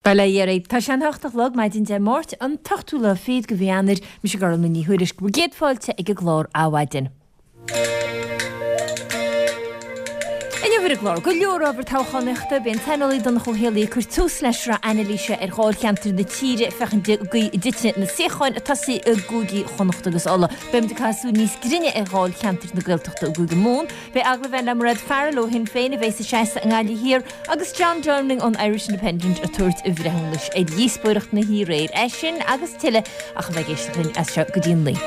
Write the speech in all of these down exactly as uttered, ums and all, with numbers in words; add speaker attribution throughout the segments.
Speaker 1: Bail ó Dhia oraibh. Tá sé an hocht a chlog, maidin Dé Máirt, an t-ochtú lá fichead de mhí Eanáir. Mise Gormfhlaith Ní Thuairisg. Bhur gcéad fáilte ag an gclár Adhmhaidin. Inniu ar an gclár, go leor ábhar toghchánaíochta, beidh an saineolaí Donncha Ó Héalaí ag cur tús le sraith anailíse ar dháilcheantair na tíre, féachaint an gcaoi a dtitfidh na suíocháin ag tosaí i gcúigí Chonnacht agus Uladh. Beimid ag caitheamh súil níos grinne ar dháilcheantair na Gaeltachta i gCúige Mumhan. Beidh agallamh againn le Mairéad Farrell ó Shinn Féin a bheas ag seasamh i nGaillimh Thiar agus John Downing ón Irish Independent ag tabhairt a bhreithiúnais ar dhíospóireacht na hoíche aréir. É sin agus tuilleadh ach a bheith ag éisteacht linn as seo go dtí a naoi.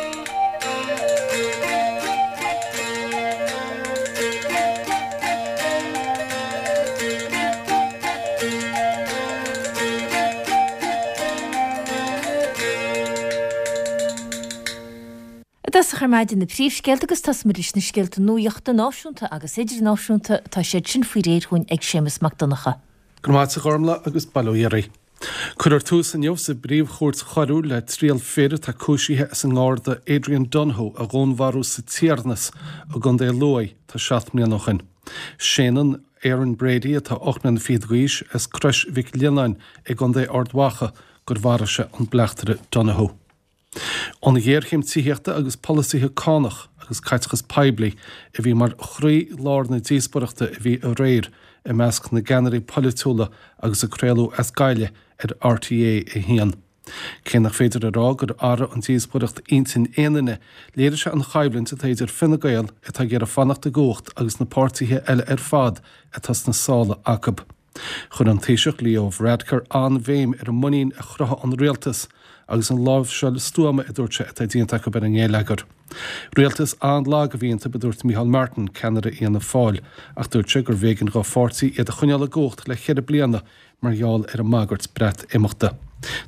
Speaker 1: I dtosach ar maidin na príomhscéalta agus tosóimid leis na scéalta nuachta náisiúnta agus idirnáisiúnta. Tá siad sin faoi réir dhúinn ag Séamus Mac Donncha.
Speaker 2: Go raibh maith agat a Ghormfhlaith agus bail ó Dhia oraibh. Cuirfear tús inniu sa bPríomh-Chúirt Choiriúil le triail fir atá cúisithe as an nGarda Adrian Donohoe a dhúnmharú sa Tiarnas i gContae Lú tá seacht mbliana ó shin. Séanann Aaron Brady, atá ocht mbliana fichead d'aois, as Crois Mhic Lionnáin i gContae Ard Mhacha gur mharaigh sé an bleachtaire Donohoe. An ghéarchéim tithíochta agus polasaithe cánach agus caiteachas poiblí a bhí mar chroí-lár na díospóireachta a bhí aréir i measc na gceannairí polaitiúla agus a craoladh as Gaillimh ar RTÉ a haon. Cé nach féidir a rá gur athraigh an díospóireacht intinn aon duine, léirigh sé an choimhlint atá idir Fine Gael atá ag iarraidh fanacht i gcumhacht agus na páirtithe eile ar fad atá sna sála acu. Chuir an Taoiseach Leo Varadkar an-bhéim ar an muinín a chruthaigh an rialtas agus an láimhseáil stuama, a dúirt sé, atá déanta acu ar an ngeilleagar. Rialtas an-lag a bhí iontu, a dúirt Micheál Martin, ceannaire Fhianna Fáil, ach dúirt sé gurbh éigean dá pháirtí iad a choinneáil i gcumhacht le ceithre bliana mar gheall ar an mbagairt Breatimeachta.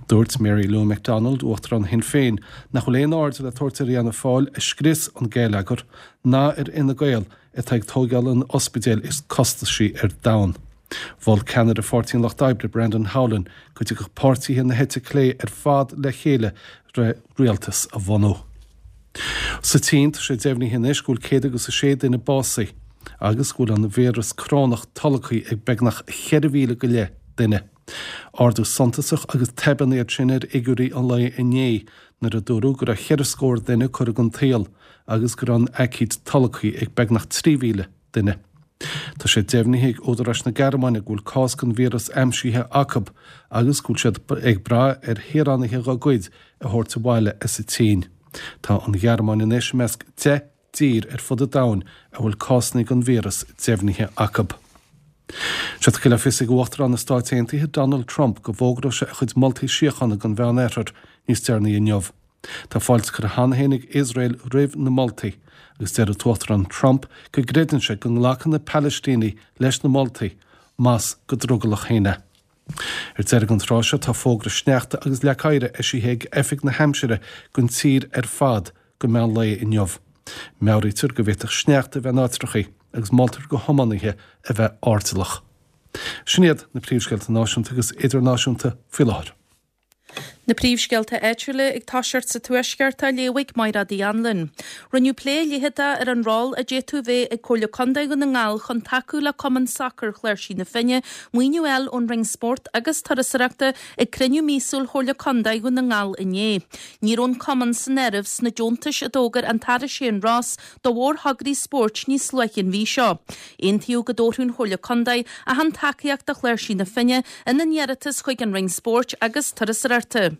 Speaker 2: Dúirt Mary Lou McDonald, Uachtarán Shinn Féin, nach bhfuil aon aird le tabhairt ar Fhianna Fáil a scrios an geilleagar ná ar Fhine Gael atá ag tóigeáil an ospidéil is costasaí ar domhan. Mhol ceannaire Pháirtí an Lucht Oibre, Brendan Howlin, go dtiocfadh páirtithe na heite clé ar fad le chéile le rialtas a bhunú. Sa tSín, tá sé deimhnithe anois go bhfuil céad agus a sé duine básaithe agus go bhfuil an víreas corónach tolgtha ag beagnach cheithre mhíle go leith duine. Ardú suntasach agus tobann iad sin ar fhigiúirí an lae inné nuair a dúradh go raibh cheithre scór duine curtha den tsaol agus go raibh an aicíd tolgtha ag beagnach trí mhíle duine. Tá sé deimhnithe ag údaráis na Gearmáine go bhfuil cás den víreas aimsithe acu agus go bhfuil siad ag brath ar shaoránaithe dá gcuid a thabhairt abhaile as an tSín. Tá an Ghearmáin anois i measc deich dtír ar fud an domhain a bhfuil cásanna den víreas deimhnithe acu. Sé tugtha le fios ag Uachtarán na Stáit Aontaithe Donald Trump go bhfógróidh sé a chuid moltaí síochána don Mheánoirthear níos deireanaí inniu. Tá fáilte curtha cheana féin ag Iosrael roimh na moltaí agus deir an tUachtarán Trump go gcreideann sé go nglacfaidh na Palaistínigh leis na moltaí, más go drogallach féin é. Ar deireadh an tráth seo tá fógra sneachta agus leac oighir eisithe ag Oifig na hAimsire don tír ar fad go meán lae inniu. Meabhraítear go bhféadfadh sneachta a bheith in áitreachaí agus moltar do thiománaithe a bheith airdeallach. Sin iad na príomhscéalta náisiúnta agus idirnáisiúnta faoi láthair.
Speaker 3: Na príomhscéalta áitiúla ag toiseacht sa Tuaisceart á léamh ag Mairéad Uí Anluain. Rinneadh plé leitheadach ar an ról a d'fhéadfadh a bheith ag Comhairle Contae Dhún na nGall chun tacú le Cumann Sacair Chláirsigh na Finne maoiniú a fháil ón Roinn Spóirt agus Turasóireachta ag cruinniú míosúil Chomhairle Contae Dhún na nGall inné. Ní raibh an cumann san áireamh sna deontais a d'fhógair an tAire Shane Ross do mhórthograí spóirt níos luaithe an mhí seo. Aontaíodh go dtabharfadh an Chomhairle Contae achan tacaíocht do Chláirsigh na Finne ina n-iarratas chuig an Roinn Spóirt agus Turasóireachta.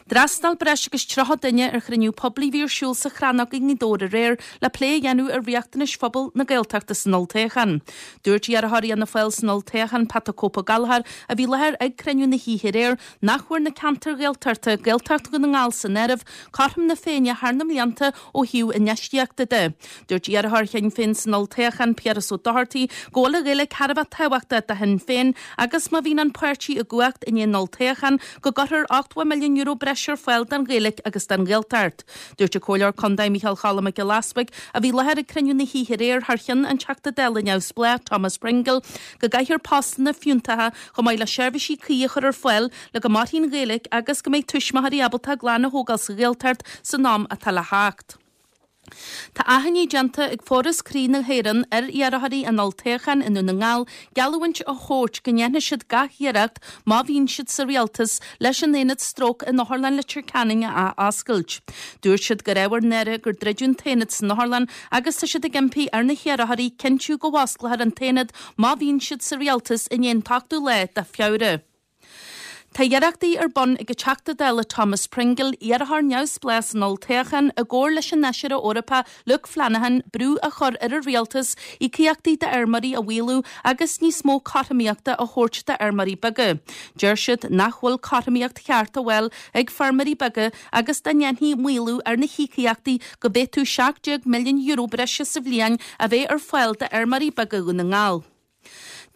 Speaker 3: D'fhreastail breis agus tríocha duine ar chruinniú poiblí a bhí ar siúl sa Chrannóg i nGaoth Dobhair aréir le plé a dhéanamh ar riachtanais phobal na Gaeltachta san olltoghchán. Dúirt iarrthóir Fhianna Fáil san olltoghchán, Pat 'The Cope' Ó Gallchóir, a bhí i láthair ag cruinniú na hoíche aréir, nach bhfuair na ceantair Ghaeltachta, Gaeltacht Dhún na nGall san áireamh, cothrom na Féinne thar na mblianta ó thaobh infheistíochta de. Dúirt iarrthóir Shinn Féin san olltoghchán, Piaras Ó Dochartaigh, go bhfuil an Ghaeilge thar a bheith tábhachtach do Shinn Féin agus má bhíonn an páirtí i gcumhacht i ndiaidh an olltoghcháin, go gcuirfear ochtó milliún euro breise ar fáil don Ghaeilge agus don Ghaeltacht. Dúirt an Comhairleoir Contae Micheál Cholm Mac Giolla Easbuig, a bhí i láthair ag cruinniú na hoíche aréir thar cheann an Teachta Dála neamhspleách Thomas Pringle, go gcaithfear postanna fiúntacha chomh maith le seirbhísí cuí a chur ar fáil le go mairfidh an Ghaeilge agus go mbeidh tuismitheoirí ábalta a gclann a thógáil sa Ghaeltacht san am atá le theacht. Tá achainí déanta ag Foras Croí na hÉireann ar iarrthóirí an olltoghcháin i nDún na nGall geallúint a thabhairt go ndéanfaidh siad gach iarracht má bhíonn siad sa rialtas leis an aonad stróc in Otharlann Leitir Ceanainn a athoscailt. Dúirt siad gur ábhar náire gur druideadh an t-aonad san otharlann agus tá siad ag impí ar na hiarrthóirí cinntiú go bhfosclófar an t-aonad má bhíonn siad sa rialtas i ndiaidh an t-ochtú lá de Feabhra. Tá iarrachtaí ar bun ag an Teachta Dála Thomas Pringle, iarrthóir neamhspleách san olltoghchán, i gcomhar leis an Fheisire Eorpach Luke Flanagan, brú a chur ar an rialtas íocaíochtaí d'fheirmeoirí a mhaolú agus níos mó cothromaíochta a thabhairt d'fheirmeoirí beaga. Deir siad nach bhfuil cothromaíocht cheart á fháil ag feirmeoirí beaga agus dá ndéanfaí maolú ar na híocaíochtaí go bhféadfadh seacht déag milliún euro breise sa bhliain a bheith ar fáil d'fheirmeoirí beaga Dhún na nGall.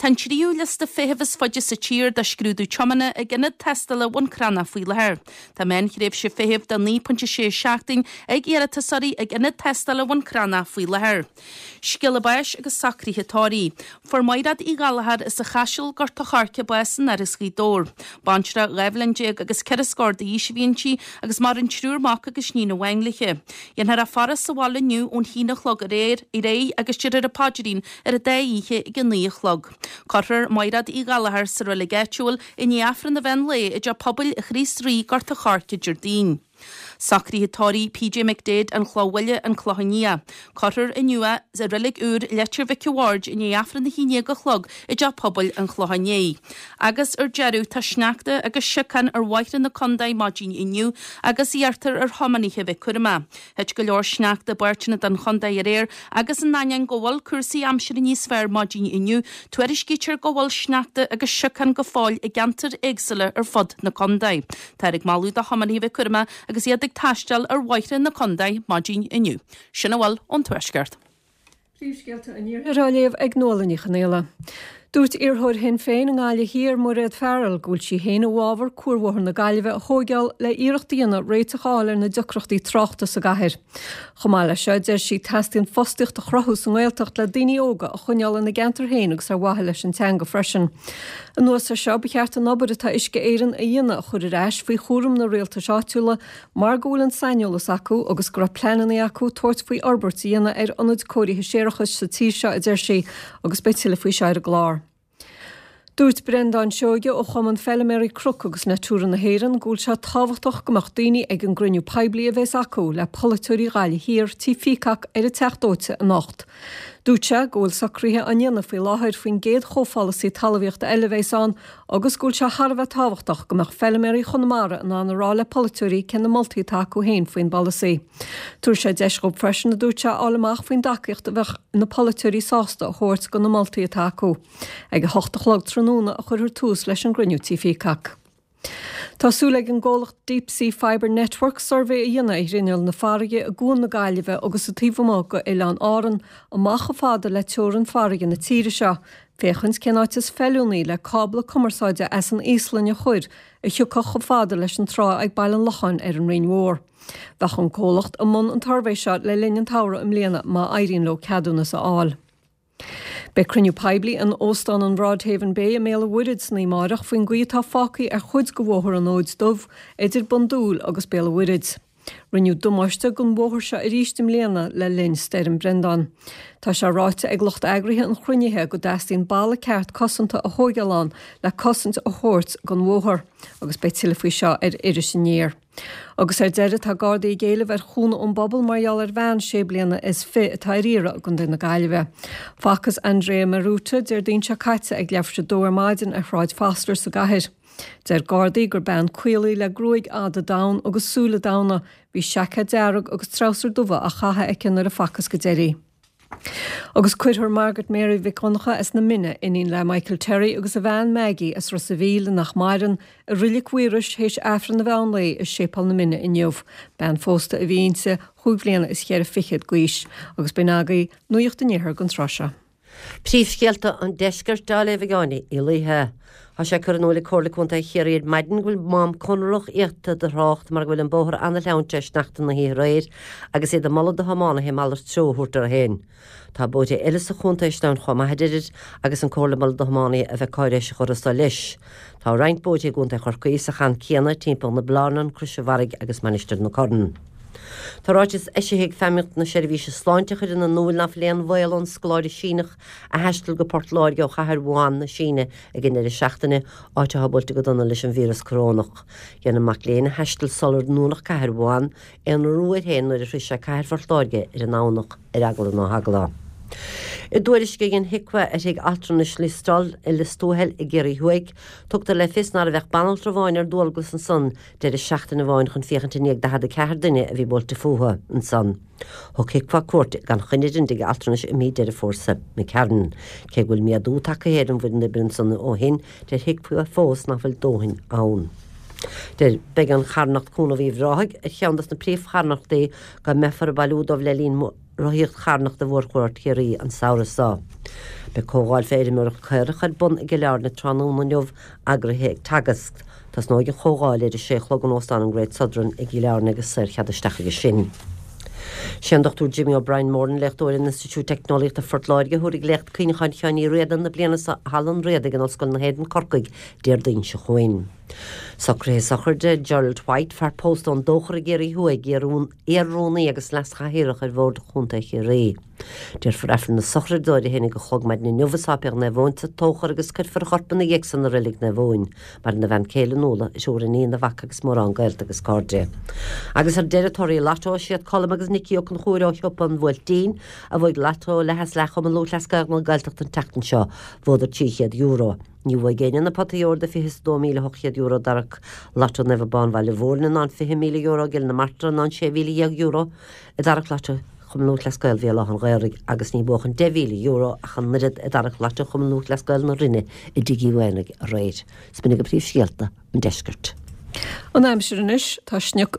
Speaker 3: Tá an tríú liosta feithimh is faide sa tír do scrúdú tiomána ag ionad tástála Bhun Cranncha faoi láthair. Tá meánthréimhse feithimh de naoi pointe sé seachtain ag iarratasóirí ag ionad tástála Bhun Cranncha faoi láthair. Scéala báis agus socruithe tórraimh. Fuair Maighread Uí Ghallchóir as an Chaiseal, Gort a' Choirce, bás in Áras Ghaoth Dobhair. Baintreach dhá bhliain déag agus ceithre scór d'aois a bhí inti agus maireann triúr mac agus iníon amháin léi. Dhéanfar í a faire sa bhaile inniu ón haon a chlog ar aghaidh agus déarfar an paidrín ar an dá oíche ag a naoi a chlog. Cuirfear Maighread Uí Ghallchóir sa reilig áitiúil i ndiaidh Aifreann an mheán lae i dTeach Pobail Chríost Rí, Gort a' Choirce, Déardaoin. Socruithe tórraimh PJ McDaid, An Chloch Bhaile, An Clochán Liath. Cuirfear inniu é i reilig úr Leitir Mhic a' Bhaird i ndiaidh Aifreann a haon déag a chlog i dTeach Pobail an Chlocháin Léith. Agus ar deireadh, tá sneachta agus siocán ar bhóithre na contae maidin inniu agus iarrtar ar thiománaithe bheith cúramach. Thit go leor sneachta i bpáirteanna den chontae aréir agus in ainneoin go bhfuil cúrsaí aimsire níos fearr maidin inniu, tuairiscítear go bhfuil sneachta agus siocán go fóill i gceantair éagsúla ar fud na contae. Táthar ag moladh do thiománaithe bheith cúramach agus iad ag taisteal ar bhóithre na contae maidin inniu. Sin a bhfuil ón Tuaisceart.
Speaker 4: Príomhscéalta an Iarthair á léamh ag Nuala Ní Chonghaile. Dúirt iarrthóir Shinn Féin i nGaillimh Thiar, Mairéad Farrell, go bhfuil sí féin i bhfabhar Cuarbhóthar na Gaillimhe a thóigeáil le iarracht a dhéanamh réiteach a fháil ar na deacrachtaí tráchta sa gcathair. Chomh maith leis seo, deir sí, teastaíonn fostaíocht a chruthú sa nGaeltacht le daoine óga a choinneáil ina gceantar féin agus ar mhaithe leis an teanga freisin. Anuas air seo, ba cheart an obair atá Uisce Éireann a dhéanamh a chur ar ais faoi chúram na rialtais áitiúla mar go bhfuil an saineolas acu agus go raibh pleananna acu tabhairt faoi fhorbairt a dhéanamh ar ionaid cóirithe séarachais sa tír seo, a deir sí, agus beidh tuilleadh faoi seo ar an gclár. Dúirt Breandán Seoige ó Chumann Feilméaraí Cnoc agus Natura na hÉireann go bhfuil sé tábhachtach go mbeadh daoine ag an gcruinniú poiblí a bheas acu le polaiteoirí Ghaillimh Thiar Tí Peacock ar an Teach Dóite anocht. Dúirt sé go bhfuil socruithe á ndéanamh faoi láthair faoin gcéad chomhpholasaí talmhaíochta eile a bheas ann agus go bhfuil sé thar a bheith tábhachtach go mbeadh feilméaraí Chonamara in ann a rá le polaiteoirí cé na moltaí atá acu féin faoin bpolasaí. Tabharfaidh sé deis dhóibh freisin, a dúirt sé, a fháil amach faoin dtacaíocht a bheadh na polaiteoirí sásta a thabhairt do na moltaí atá acu. Ag a hocht a chlog tráthnóna a chuirfear tús leis an gcruinniú Tí Peacock. Tá súil ag an gcomhlacht Deep Sea Fibre Network suirbhé a dhéanamh ar ghrinneall na farraige i gCuan na Gaillimhe agus sa taobh amuigh go Oileán Árann, amach chomh fada le teorainn farraige na tíre seo, féachaint cén áit is feiliúnaí le cábla cumarsáide as an Íoslainn a chur a thiocfadh chomh fada leis an trá ag Baile an Locháin ar an Rinn Mhór. Bheadh an comhlacht i mbun an tsuirbhé seo le linn an tsamhraidh i mbliana má éiríonn leo ceadúnas a fháil. Beidh cruinniú poiblí in Óstán an Broadhaven Bay i mBéal an Mhuirthead san oíche amárach faoin gcaoi atá fágtha ar chuid de Bhóthar an Fhóid Dubh idir Bun Dúill agus Béal an Mhuirthead. Rinneadh damáiste don bhóthar seo arís i mbliana le linn Stoirm Brendan. Tá sé ráite ag lucht eagraithe an chruinnithe go dteastaíonn balla ceart cosanta a thóigeáil ann le cosaint a thabhairt don bhóthar agus beidh tuilleadh faoi seo ar Iris Aniar. Agus ar deireadh, tá Gardaí ag éileamh ar chúnamh ón bpobal mar gheall ar bhean sé bliana is fiche atá ar iarraidh i gContae na Gaillimhe. Facthas Andrea Maruta Déardaoin seo caite ag leathuair tar éis a dó ar maidin ar Shráid Foster sa gcathair. Deir Gardaí gur bean caol í le gruaig fhada donn agus súile donn. Bhí seaicéad dearg agus treabhsar dubha á chaitheamh aici nuair a facthas go deiridh í. Agus cuirfear Margaret Mary Mhic Dhonncha as na Mine, iníon le Michael Terry agus a bhean Maggie as Ros a' Mhíl nach maireann, i Reilig Mhaorais théis Aifreann an mheán lae i Séipéal na Mine inniu. Bean phósta a bhí inti, chúig bhliana is cheithre fichead d'aois. Agus b'in agaibh Nuacht an Iarthair don tráth seo.
Speaker 5: Príomhscéalta an Deiscirt á léamh ag Áine Uí Laoithe. Tá sé curtha in iúl ag Comhairle Contae Chiarraí ar maidin go bhfuil mám conrach iata do thrácht mar go bhfuil an bóthar an-leamhan le sneachta na hoíche aréir agus iad ag moladh do thiománaithe malairt treo a thabhairt orthu féin. Tá bóithre eile sa chontae sleamhain chomh maith a deirid agus an Comhairle ag moladh do thiománaithe a bheith cáiréiseach orthu so leis. Tá roinnt bóithre i gContae Chorcaí sa chan céanna timpeall na Blarnan, Crois an Bharraigh agus Mainistir na Corann. Tá ráiteas eisithe ag Feidhmeannacht na Seirbhíse Sláinte a chuireann in iúl nach bhfuil aon bhaol ón scoláire Síneach a thaistil go Port Láirge ó chathair Wuhan na Síne ag an deireadh seachtaine, áit atá buailte go dona leis an víreas corónach. Dhein an mac léinn a thaistil sular dúnadh cathair Wuhan aonrú air féin nuair a shroich sé cathair Phort Láirge ar an nDomhnach ar eagla ná heagla. I dtuairisc a dhein HIQA ar thigh altranais Listowel i Lios Tuathail i gCiarraí Thuaidh, tugtar le fios ná raibh ach banaltra amháin ar dualgas ansan deireadh seachtaine amháin chun féachaint i ndiaidh daichead a ceathair duine a bhí buailte fúthu ansan. Thug HIQA cuairt gan choinne ar an dtigh altranais i mí Deireadh Fómhair seo imigh. Cé go bhfuil méadú tagtha ar an bhfoireann oibre ansan ó shin, deir HIQA fós nach bhfuil dóthain ann. Deir beidh an charthanacht Cúnamh Uíbh Ráthaigh ar cheann dos na príomhcharthanachtaí go mbeifear ag bailiú dóibh le linn Rothaíocht Charthanachta Mhórchuaird Chiarraí an samhradh seo. Beidh comhdháil fé fheirmeoireacht caorach ar bun i gCill Airne tráthnóna inniu, eagraithe ag Teagasc. Tosnóidh an chomhdháil ar a sé a chlog in Óstán an Great Southern i gCill Airne agus saorchead isteach aige sin. Sé an Dochtúir Jimmy O'Brien Moran, léachtóir in Institiúid Teicneolaíochta Phort Láirge, a thabharfaidh Léacht Cuimhneacháin Sheáin Uí Riada na bliana seo i Halla an Riadaigh in Ollscoil na hÉireann, Corcaigh, Déardaoin seo chugainn. Socruithe sochraide Gerald White, fear pósta ón Dóchar i gCiarraí Thuaidh, iar-rúnaí agus leas-chathaoirleach ar Bhord Chontae Chiarraí. Déarfar Aifreann na sochraide dó ar a haon déag a chlog maidin inniu i Sáipéal Naomh Eoin sa Tóchar agus cuirfear a chorp ina dhiaidh san i Reilig Naomh Eoin. Maireann a bhean céile Nuala, a thriúr iníon, a mhac agus mórán gaolta agus cairde. Agus ar deireadh torthaí Lotto, is iad Colm agus Nicky Ó Conchúir ó Shiopa an Bhuailtín a bhuaigh Lotto leath is leath Chumann Lúthchleas Gael na Gaeltachta an tseachtain seo. Bhuadar trí chéad euro. Ní bhuaigh éinne na potaí óir de fiche is a dó míle ocht chéad euro i dtarrac Lotto Naomh Abán Bhaile Mhúirne ná an fiche míle euro i gCill na Martra ná an sé mhíle dhéag euro i dtarrac Lotto Chumann Lúthchleas Gael Bhéal Átha an Ghaorthaidh agus ní buadh an deich mhíle euro ach an oiread i dtarrac Lotto Chumann Lúthchleas Gael na Rinne i dTigh Uí Mhaonaigh aréir. 'S b'in agaibh príomhscéalta an deiscirt.
Speaker 4: An aimsir anois, tá sioc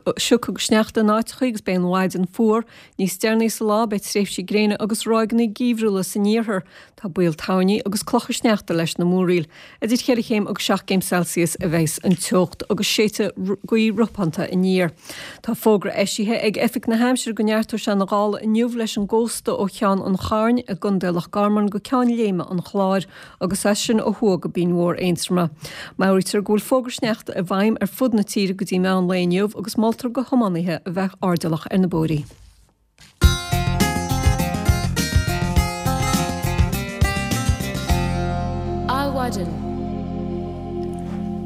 Speaker 4: agus sneachta in áiteacha agus beidh an mhaidin fuar. Níos deireanaí sa lá beidh tréimhsí gréine agus ráigeanna geimhriúla san iarthar. Tá baol toirní agus clocha sneachta leis na múraíl. Idir cheithre chéim agus seacht gcéim Celsius a bheas an teocht agus séidfidh gaoth ropánta aniar. Tá fógra eisithe ag Oifig na hAimsire go neartóidh sé na gála inniu leis an gcósta ó Cheann an Chairn i gContae Loch Garman go Ceann Léime an Chláir agus as sin ó thuaidh go Binn Mhór Aontroma. Meabhraítear go bhfuil fógra sneachta i bhfeidhm ar fud na tíre go dtí meán lae inniu agus moltar do thiománaithe a bheith airdeallach ar na bóithrí.
Speaker 1: Adhmhaidin.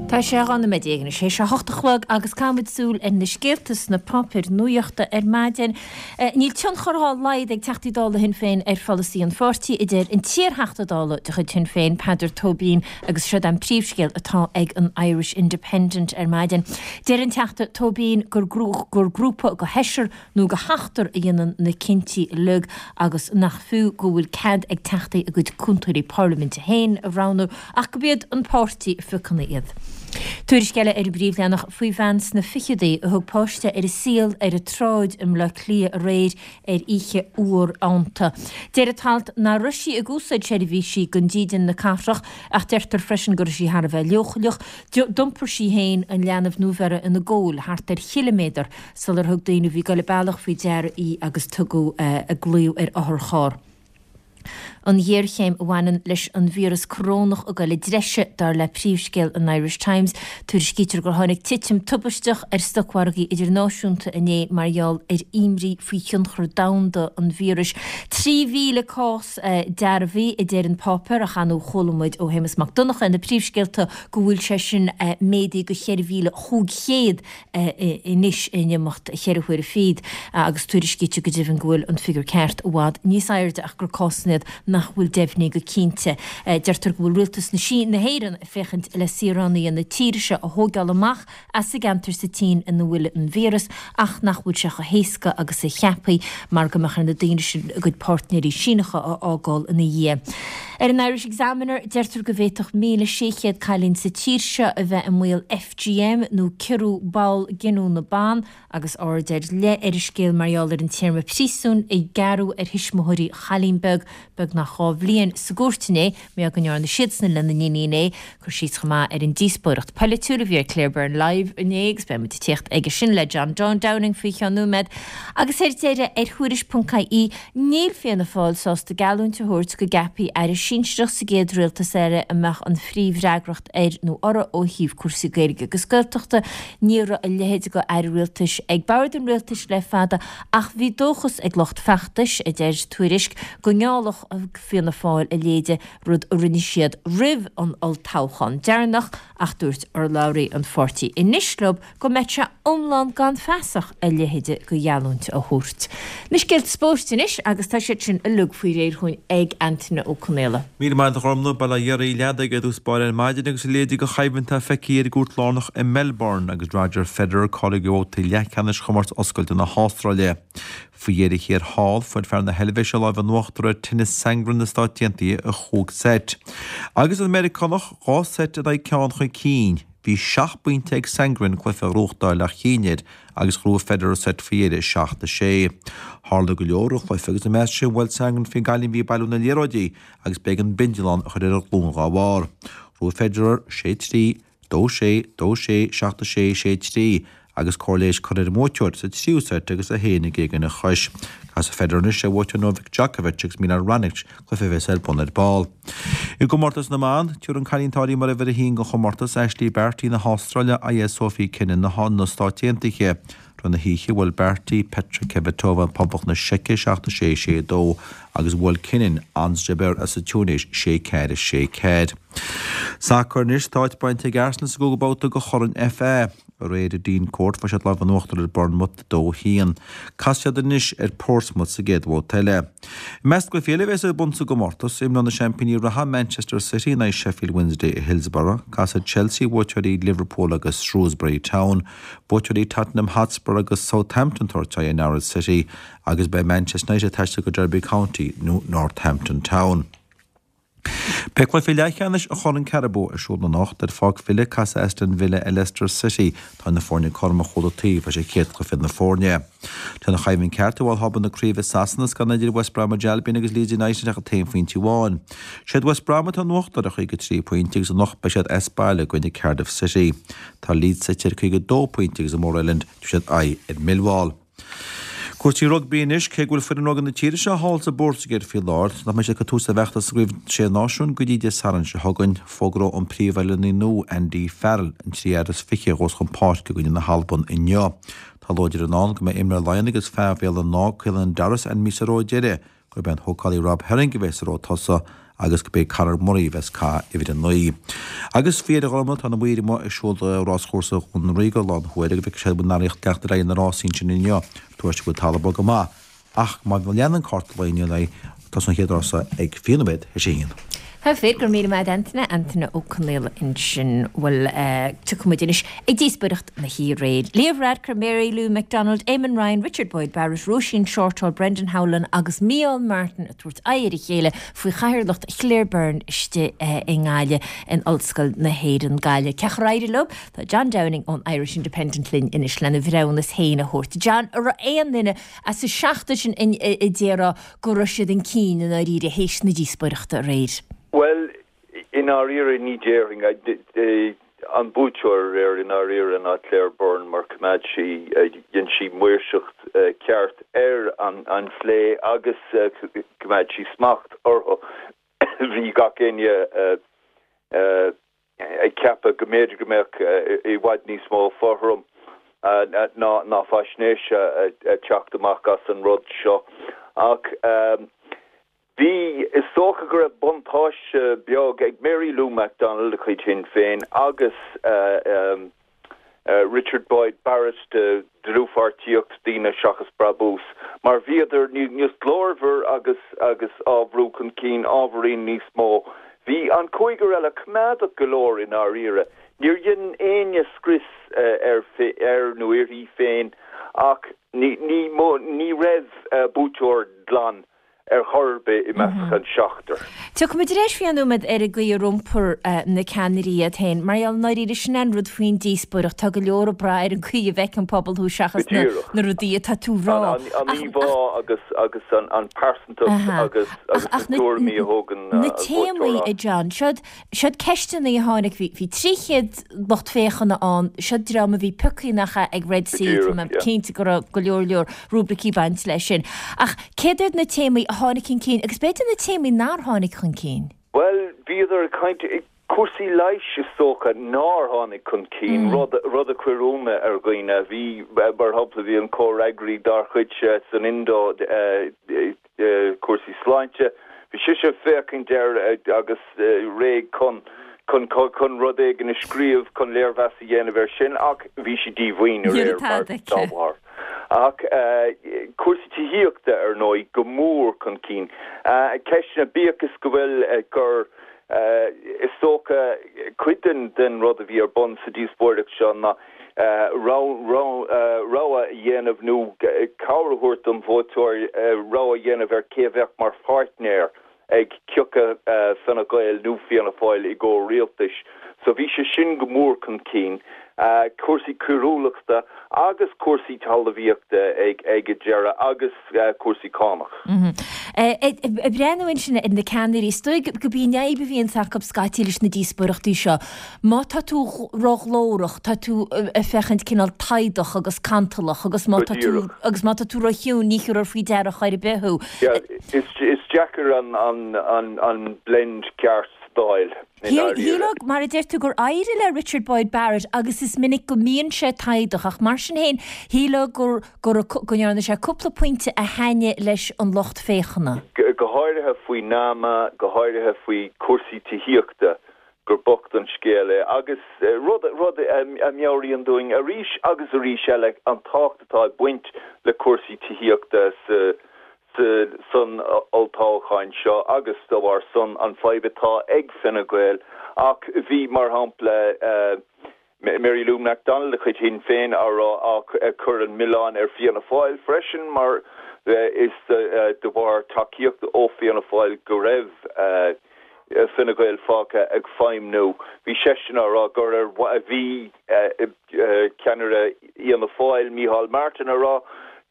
Speaker 1: Tá sé dhá nóiméad déag anois théis a hocht a chlog agus caithfimid súil ar na scéalta sna páipéir nuachta ar maidin. Níl tionchar dá laghad ag Teachtaí Dála Shinn Féin ar pholasaí an pháirtí, a deir an t-iarTheachta Dála de chuid Shinn Féin, Peadar Tóibín, agus siod an príomhscéal atá ag an Irish Independent ar maidin. Deir an Teachta Tóibín gur gur grúpa de sheisear nó de sheachtar a dhéanann na cinntí uilig agus nach fiú go bhfuil cead ag Teachtaí a gcuid cúntóirí parlaiminte féin a roghnú ach gurb iad an páirtí a phiocann iad. Tuairisc eile ar an bpríomhleathanach faoi bhean sna ficheadaí a thug páiste ar an saol ar an tsráid i mBleá Cliath aréir ar oíche fhuar fheannta. Deir an t-alt nach raibh sí ag úsáid seirbhísí don dídean na cathrach ach deirtear freisin go raibh sí thar a bheith leochaileach. D'iompair sí féin an leanbh nuabheirthe ina gabháil thart ar chiliméadar sular thug daoine a bhí ag dul an bealach faoi deara í agus tugadh glaoch ar otharcharr. An ghéarchéim a bhaineann leis an víreas corónach ag dul i dtreise, dar le príomhscéal an Irish Times. Tuairiscítear gur tháinig titim tubaisteach ar stocmhargaí idirnáisiúnta inné mar gheall ar imní faoi thionchar domhanda an víris. Trí mhíle cás dearbhaithe, a deir an páipéar, ach ar ndóigh chuala muid ó Shéamus Mac Donncha ina príomhscéalta go bhfuil sé sin méadaithe go cheithre mhíle chúig chéad anois in imeacht cheithre huaire fichead agus tuairiscítear go deimhin go bhfuil an figiúr ceart i bhfad níos airde ach gur cásanna iad nach bhfuil deimhnithe go cinnte. Deirtear go bhfuil rialtas na hÉireann ag féachaint le saoránaigh na tíre seo a thógáil amach as an gceantar sa tSín ina bhfuil an víreas ach nach bhfuil sé chomh héasca agus a cheapfaí mar go mbeadh ar na daoine sin a gcuid páirtnéirí Síneacha a fhágáil ina dhiaidh. Ar an Irish Examiner deirtear go bhféadfadh míle sé chéad cailín sa tír seo a bheith i mbaol F G M nó ciorrú ball giniúna ban agus aird ar leith ar an scéal mar gheall ar an téarma príosúin a gearradh ar thuismitheoirí chailín beag beagnach dhá bhliain sa gcúirt inné mar go ndearna siadsan lena n-iníon é. Cur síos chomh maith ar an díospóireacht pholaitiúil a bhí ar Claire Byrne Live inné agus beidh muid ag tíocht aige sin le John Downing faoi cheann nóiméad. Agus ar deireadh ar Thuairisc ponc I E níl Fianna Fáil sásta geallúint a thabhairt go gceapfaí Aire sinsearach sa gcéad rialtas eile a mbeadh an phríomhfhreagracht air nó orthu ó thaobh cúrsaí Gaeilge agus Gaeltachta. Ní raibh a leithéid de aire rialtais ag bord an rialtais le fada ach bhí dóchas ag lucht feachtais, a deir Tuairisc, go ngeallfadh Fianna Fáil a leithéid, rud a rinne siad roimh an olltoghchán deireanach, ach dúirt urlabhraí an pháirtí anois leo go mbeadh sé iomlán gan feasach a leithéid de gheallúint a thabhairt. Na scéalta spóirt anois agus tá siad sin uilig faoi réir chugainn ag Antaine Ó Conaola.
Speaker 6: Míle maith agat a Ghormfhlaith, Bail ó Dhia oraibh. Leadaigh ar dtús báire ar maidin agus a leithéid de choimhlint atá feicthe ar an gcúirt lárnach i Melbourne agus Roger Federer cáilithe do bhabhtaí leathcheannais chomórtas oscailte na hAstráile. Faoi dheireadh thiar thall, fuair fear na hEilvéise lámh in uachtar ar Tennys Sandgren na Stát Aontaithe i chúig seit. Agus an Meiriceánach dhá seit in aghaidh ceann chun cinn. Bhí seacht bpointe ag Sandgren cluiche a ghnóthachtáil ach chinn air agus ghnóthaigh Federer seit faoi dheireadh, seacht a sé. Tharla go leor an chluiche agus ina measc sin bhuail Sandgren faoin gcailín a bhí ag bailiú na liathróidí agus b'éigean bindealán a chur ar a ghlúin dhá bharr. Ghnóthaigh Federer sé trí, dó sé, dó sé, seacht a sé, sé trí agus cóir leighis curtha ar an mbuaiteoir sa tríú seit agus é féin ag éagan a chois. Casfaidh Federer anois ar bhuaiteoir Novak Djokovic agus Milos Raonic, cluiche a bheas ar bun ar ball. I gcomórtas na mban, tabharfaidh an cailín atá mar uimhir a haon den chomórtas, Ashleigh Barty na hAstráile, aghaidh ar Sophie Kenin na Stát Aontaithe. Tráthnóna na hoíche, bhuail Barty Petra Kvitova Poblacht na Seice seacht a sé, sé a dó agus bhuail Kenin Ons Jabeur as an Túinéis sé ceathair, sé ceathair. Sacar anois, tá áit bainte ag Arsenal sa gcúigiú babhta de Chorn FA. Aréir i Dean Court fuair siad lámh in uachtar ar Bournemouth dó a haon. Casfaidh siad anois ar Portsmouth sa gcéad bhabhta eile. I measc na gcluichí eile a bheas ar bun sa gcomórtas, imreoidh na seaimpíní reatha Manchester City in aghaidh Sheffield Wednesday i Hillsborough, casfaidh Chelsea buaiteoirí Liverpool agus Shrewsbury Town, buaiteoirí Tottenham Hotspur agus Southampton tabhairt aghaidh ar Norwich City agus beidh Manchester United ag taisteal go Derby County nó Northampton Town. Beidh cluiche leathcheannais an Choirn Carabao ar siúl anocht ar pháirc Villa casfaidh Aston Villa ar Leicester City. Tá na foirne cothrom ó chuile taobh leis an chéad chluiche na foirne. Tá an choimhlint ceart i bhfad na craoibhe i Sasana is gan idir West Bromwich Albion agus Leeds United ach an t-aon phointe amháin. Siad West Brom atá in uachtar ar chaoga trí pointe agus anocht beidh siad as baile i gcoinne Cardiff City. Tá Leeds suite ar caoga dó pointe agus i Moor Island tabharfaidh siad aghaidh ar Millwall. Cúrsaí rugbaí anois, cé go bhfuil foireann rugbaí na tíre seo thall sa bPortaingéil faoi láthair, nach mbeidh siad ag cur tús le bhfeachtas sa gCraobh Sé Náisiún go dtí Dé Sathairn seo chugainn, fógróidh an príomhoiliúnaí nua, Andy Farrell, an trí fhear is fiche a ghabhfas chun páirce i gcoinne na hAlban inniu. Tá láidir i ndán go mbeidh imreoir Laighean agus fear Bhéal an Átha, Caelan Doris, ainmnithe sa rogha deiridh, gurb é an húcálaí Rob Herring a bheas sa rogha tosaigh agus gurb é Conor Murray a bheas ag caitheamh uimhir a naoi. Agus faoi dheireadh a Ghormfhlaith, tá na maoir amuigh ag siúl ráschúrsa Dhún Ríoga lá na huaire go bhfeicfidh siad an bhfuil an teacht ar aghaidh na rásaí ansin inniu. Tuairisc go bhfuil talamh bog go maith ach má leanann cárta lae inniu ar aghaidh, tosóidh an chéad rása ag fiche nóiméad théis a haon.
Speaker 1: Tá fíor, go raibh míle maith agat Antaine, Antaine Ó Conaola ansin. Bhuel, tiocfaidh muid anois ag díospóireacht na hoíche aréir. Leo Varadkar, Mary Lou McDonald, Eamon Ryan, Richard Boyd Barrett, Róisín Shortall, Brendan Howlin agus Micheál Martin ag tabhairt aghaidh ar a chéile faoi chathaoirleacht Claire Byrne istigh i nGaillimh in Ollscoil na hÉireann Gaillimh. Cén chaoi ar éirigh leo? Tá John Downing ón Irish Independent linn anois lena bhreithiúnas féin a thabhairt. John, an raibh aon duine as an seachtar sin a déarfá go raibh siad chun cinn i ndáiríre théis na díospóireachta aréir?
Speaker 7: Bhuel, i ndáiríre ní déarfainn. An buaiteoir aréir i ndáiríre ná Claire Byrne mar choimeád sí, dhein sí maoirseacht ceart ar an phlé agus choimeád sí smacht orthu. Bhí gach éinne ag ceapadh go mb'fhéidir go mbeadh i bhfad níos mó fothrom ná ná faisnéise ag teacht amach as an rud seo. Ach bhí, is dócha go raibh buntáiste beag ag Mary Lou McDonald de chuid Shinn Féin agus Richard Boyd Barrett de dlúthpháirtíocht Daoine Seachas Brabús, mar bhíodar níos glórmhar agus agus á bhrú chun cinn ábhairín níos mó. Bhí an cúigear eile coimeádach go leor i ndáiríre. Níor dhein éinne scrios ar air nó uirthi féin ach ní ní ní raibh buaiteoir glan ar chor ar bith i measc an seachtar.
Speaker 1: Tiocfaidh muid ar ais faoi nóiméad ar an gcaoi ar iompair na ceannairí iad féin. Mar gheall i ndáiríre sin an rud faoin díospóireacht, tá go leor ag brath ar an gcaoi a bhfeiceann an pobal thú seachas na na rudaí atá tú a rá.
Speaker 7: An íomhá agus agus an an pearsantacht agus agus na tuairimí a thógann
Speaker 1: na téamaí a John, siod siod ceisteanna a tháinig, bhí bhí trí chéad lucht féachana ann, siod dream a bhí pioctha nach ea ag Red C, tá mé cinnte go raibh go leor leor rúibricí baint leis sin. Ach céard iad na téamaí a tháinig chun cinn agus b'fhéidir na téamaí nár tháinig chun cinn?
Speaker 7: Bhuel, bhíodar ag caint, cúrsaí leighis is dócha nár tháinig chun cinn, rud rud a chuir ionadh ar dhaoine. Bhí, mar shampla, bhí an comhfhreagraí dár chuidse san Indo cúrsaí sláinte, bhí sise ag féachaint air agus réidh chun chun chun rud éigin a scríobh chun léirmheas a dhéanamh air sin ach bhí sí díomhaoin aréir mar dá bharr. Ach cúrsaí tithíochta ar ndóigh go mór chun cinn. Ceisteanna, bíodh is go bhfuil gur is dócha cuid den den rud a bhí ar bun sa díospóireacht seo ná rogha a dhéanamh nó cabhair a thabhairt don vótóir rogha a dhéanamh ar cé a bheadh mar pháirtnéir ag cioca Fine Gael nó Fianna Fáil i gcomhar rialtais. So bhí sé sin go mór chun cinn, cúrsaí coiriúlachta agus cúrsaí talmhaíochta ag ag an deireadh agus cúrsaí cánach.
Speaker 1: Ag breathnú ansin ar na ceannairí, is dóigh gurb í an fhadhb a bhíonns acu scaití leis na díospóireachtaí seo, má tá tú róghlórach, tá tú ag féachaint cineál taghdach agus cantalach agus má tá tú agus má tá tú róchiúin ní thiúrfar faoi deara chor ar bith thú.
Speaker 7: Is is deacair an an an an blend ceart a fháil i ndáiríre.
Speaker 1: Shílfeá, mar a deir tú, gur éirigh le Richard Boyd Barrett agus is minic go mbíonn sé taghdach ach mar sin féin shílfeá gur gur go ndearna sé cúpla pointe a thaitnigh leis an lucht féachana.
Speaker 7: Go háirithe faoi NAMA, go háirithe faoi chúrsaí tithíochta, gur bocht an scéal é agus rud rud a mheabhraíonn dúinn arís agus arís eile an tábhacht atá ag baint le cúrsaí tithíochta sa san olltoghchán seo agus dá bharr san an fadhb atá ag Fine Gael ach bhí mar shampla Mary Lou McDonald de chuid Shinn Féin á rá ag cur an milleán ar Fianna Fáil freisin mar is de bharr tacaíocht ó Fianna Fáil go raibh Fine Gael fágtha ag feidhmniú. Bhí seisean á rá gur ar bhí ceannaire Fhianna Fáil Micheál Martin á rá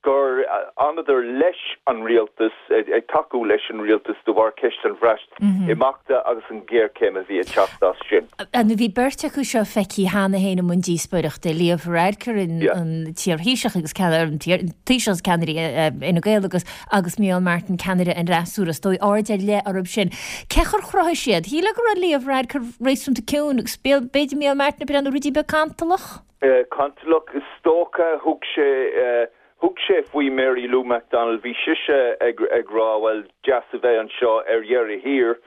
Speaker 7: gur fhanadar leis an rialtas, ag tacú leis an rialtas de bharr ceist an Bhreatimeachta agus an ghéarchéim a bhí ag teacht as sin.
Speaker 1: Nó bhí beirt acu seo feicthe cheana féin i mbun díospóireachta, Leo Varadkar, an t-iar-Thaoiseach agus an Taoiseach agus ceannaire Fhine Gael agus agus Micheál Martin, ceannaire an fhreasúra. Is dóigh aird ar leith orthu sin. Cé chor chruthaigh siad? Shílfeá go raibh Leo Varadkar réasúnta ciúin agus b'fhéidir Micheál Martin ag breathnú rudaí beag cantalach?
Speaker 7: Cantalach is dócha. Thug sé Thug sé faoi Mary Lou McDonald, bhí sise ag ag rá bhuel deas a bheith anseo ar dheireadh thiar,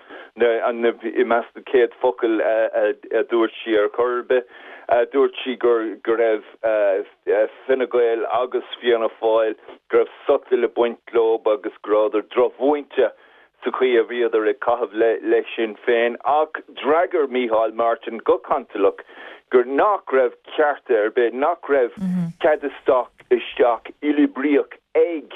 Speaker 7: i measc na céad focal a dúirt sí ar chor ar bith. Dúirt sí gur go raibh Fine Gael agus Fianna Fáil, go raibh sotal ag baint leo agus go rabhadar drochmhúinte sa chaoi a bhíodar ag caitheamh le Sinn Féin ach d'fhreagair Micheál Martin go cantalach gur nach raibh cearta ar bith, nach raibh cead isteach isteach uathoibríoch ag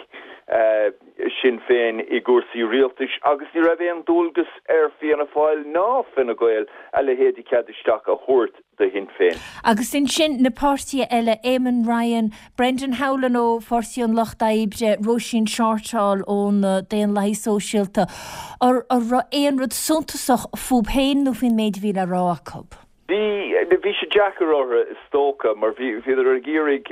Speaker 7: Sinn Féin i gcúrsaí rialtais agus ní raibh aon dualgas ar Fianna Fáil ná Fine Gael a leithéid de chead isteach a thabhairt do Shinn Féin.
Speaker 1: Agus ansin na páirtithe eile, Eamon Ryan, Brendan Howlin ó Pháirtí an Lucht Oibre, Róisín Shortall ó na Daonlathaithe Sóisialta, an raibh aon rud suntasach fúthu féin nó faoin méid a bhí le rá acu?
Speaker 7: Bhí, bhí sé deacair orthu is dócha mar bhí, bhíodar ag iarraidh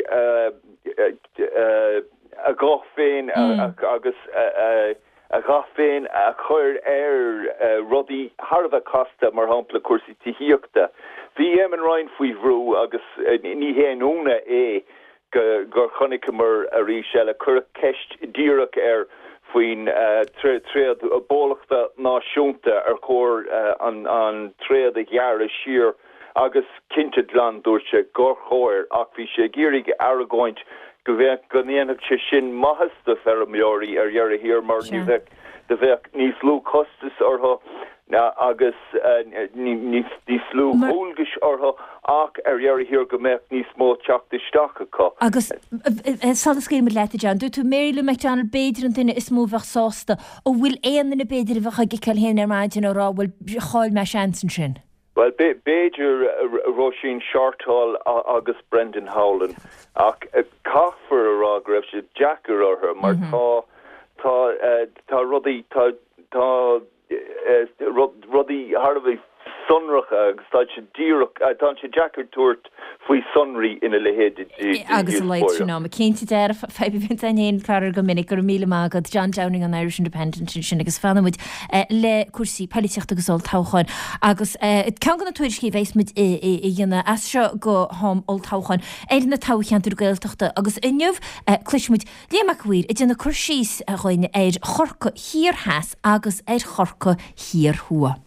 Speaker 7: a ghuth féin agus a a dhath féin a chur ar rudaí thar a bheith casta, mar shampla cúrsaí tithíochta. Bhí Eamon Ryan faoi bhrú agus ní haon ionadh é gur chonaiceamar arís eile, cuireadh ceist dhíreach air faoin tréad bólachta náisiúnta, ar chóir an tréad a ghearradh siar agus cinnte glan dúirt sé gur chóir ach bhí sé ag iarraidh argóint go bheadh, go ndéanfadh sé sin maitheas do feirmeoirí ar dheireadh thiar mar ní bheadh, do bheadh níos lú costas orthu agus níos lú dualgais orthu ach ar dheireadh thiar go mbeadh níos mó teacht isteach acu.
Speaker 1: Agus sula scaoilimid leat, a John, dúirt tú Mary Lou McDonald b'fhéidir an duine is mó a bheadh sásta. An bhfuil aon duine b'fhéidir a bheadh ag ciceáil féin ar maidin á rá bhuel chaill mé seans ansin?
Speaker 7: Bhuel, b'fhéidir Róisín Shortall agus Brendan Howlin ach caithfear a rá go raibh sé deacair orthu mar tá tá tá rudaí tá tá rudaí thar a bheith sonracha agus tá sé díreach tá sé deacair tabhairt faoi sonraí ina leithéid de
Speaker 1: Agus a leithéid sin ama. Cinnte dearfa fadhb a bhíonn aon chlár go minic go raibh míle maith agat John Downing an Irish Independent sin agus fanfaimid le cúrsaí polaitíochta agus olltoghcháin agus ceann de na tuairiscí a bheas muid a dhéanamh as seo go ham olltoghcháin ar na toghcheantair Gaeltachta agus inniu cloisfimid Liam Mac a' Mhaoir ag déanamh cur síos dhúinn ar Chorcaigh Thiar Theas agus ar Chorcaigh Thiar Thuaidh.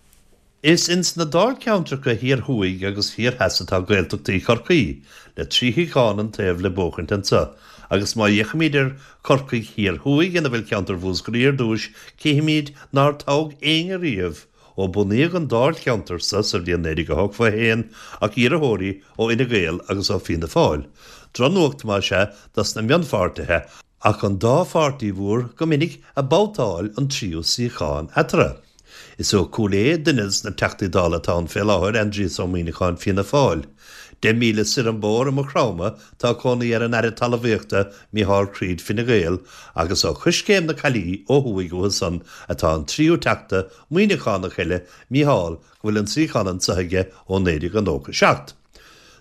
Speaker 8: Is ins na dáilcheantracha thiar thuaidh agus thiar theas atá Gaeltachtaí Chorcaí, le trí shuíochán an taobh le buachaint anseo, agus má fhéachaimid ar Chorcaigh Thiar Thuaidh ina bhfuil ceantar Mhúscraí ar dtúis, cífimid nár toghadh éinne riamh ó bunaíodh an dáilcheantar sa sa bhliain naoi déag a hochtó a haon ach iarrthóirí ó Fhine Gael agus ó Fianna Fáil. Drochnuacht más ea dos na mionpháirtithe ach an dá pháirtí mhór go minic ag babhtáil an tríú suíochán eatarthu. Is ó Chúil Aodha duine des na Teachtaí Dála atá ann fé láthair, Aindrias Ó Muimhneacháin Fianna Fáil. Deich míle soir an bóthar i Maigh Chromtha tá cónaí ar an Aire Talmhaíochta Micheál Creed Fine Gael agus ó Choiscéim na Caillí ó thuaidh uathu san atá an tríú Teachta Muimhneachánach eile, Micheál, go bhfuil an suíochán anseo aige ó naoi déag nócha seacht.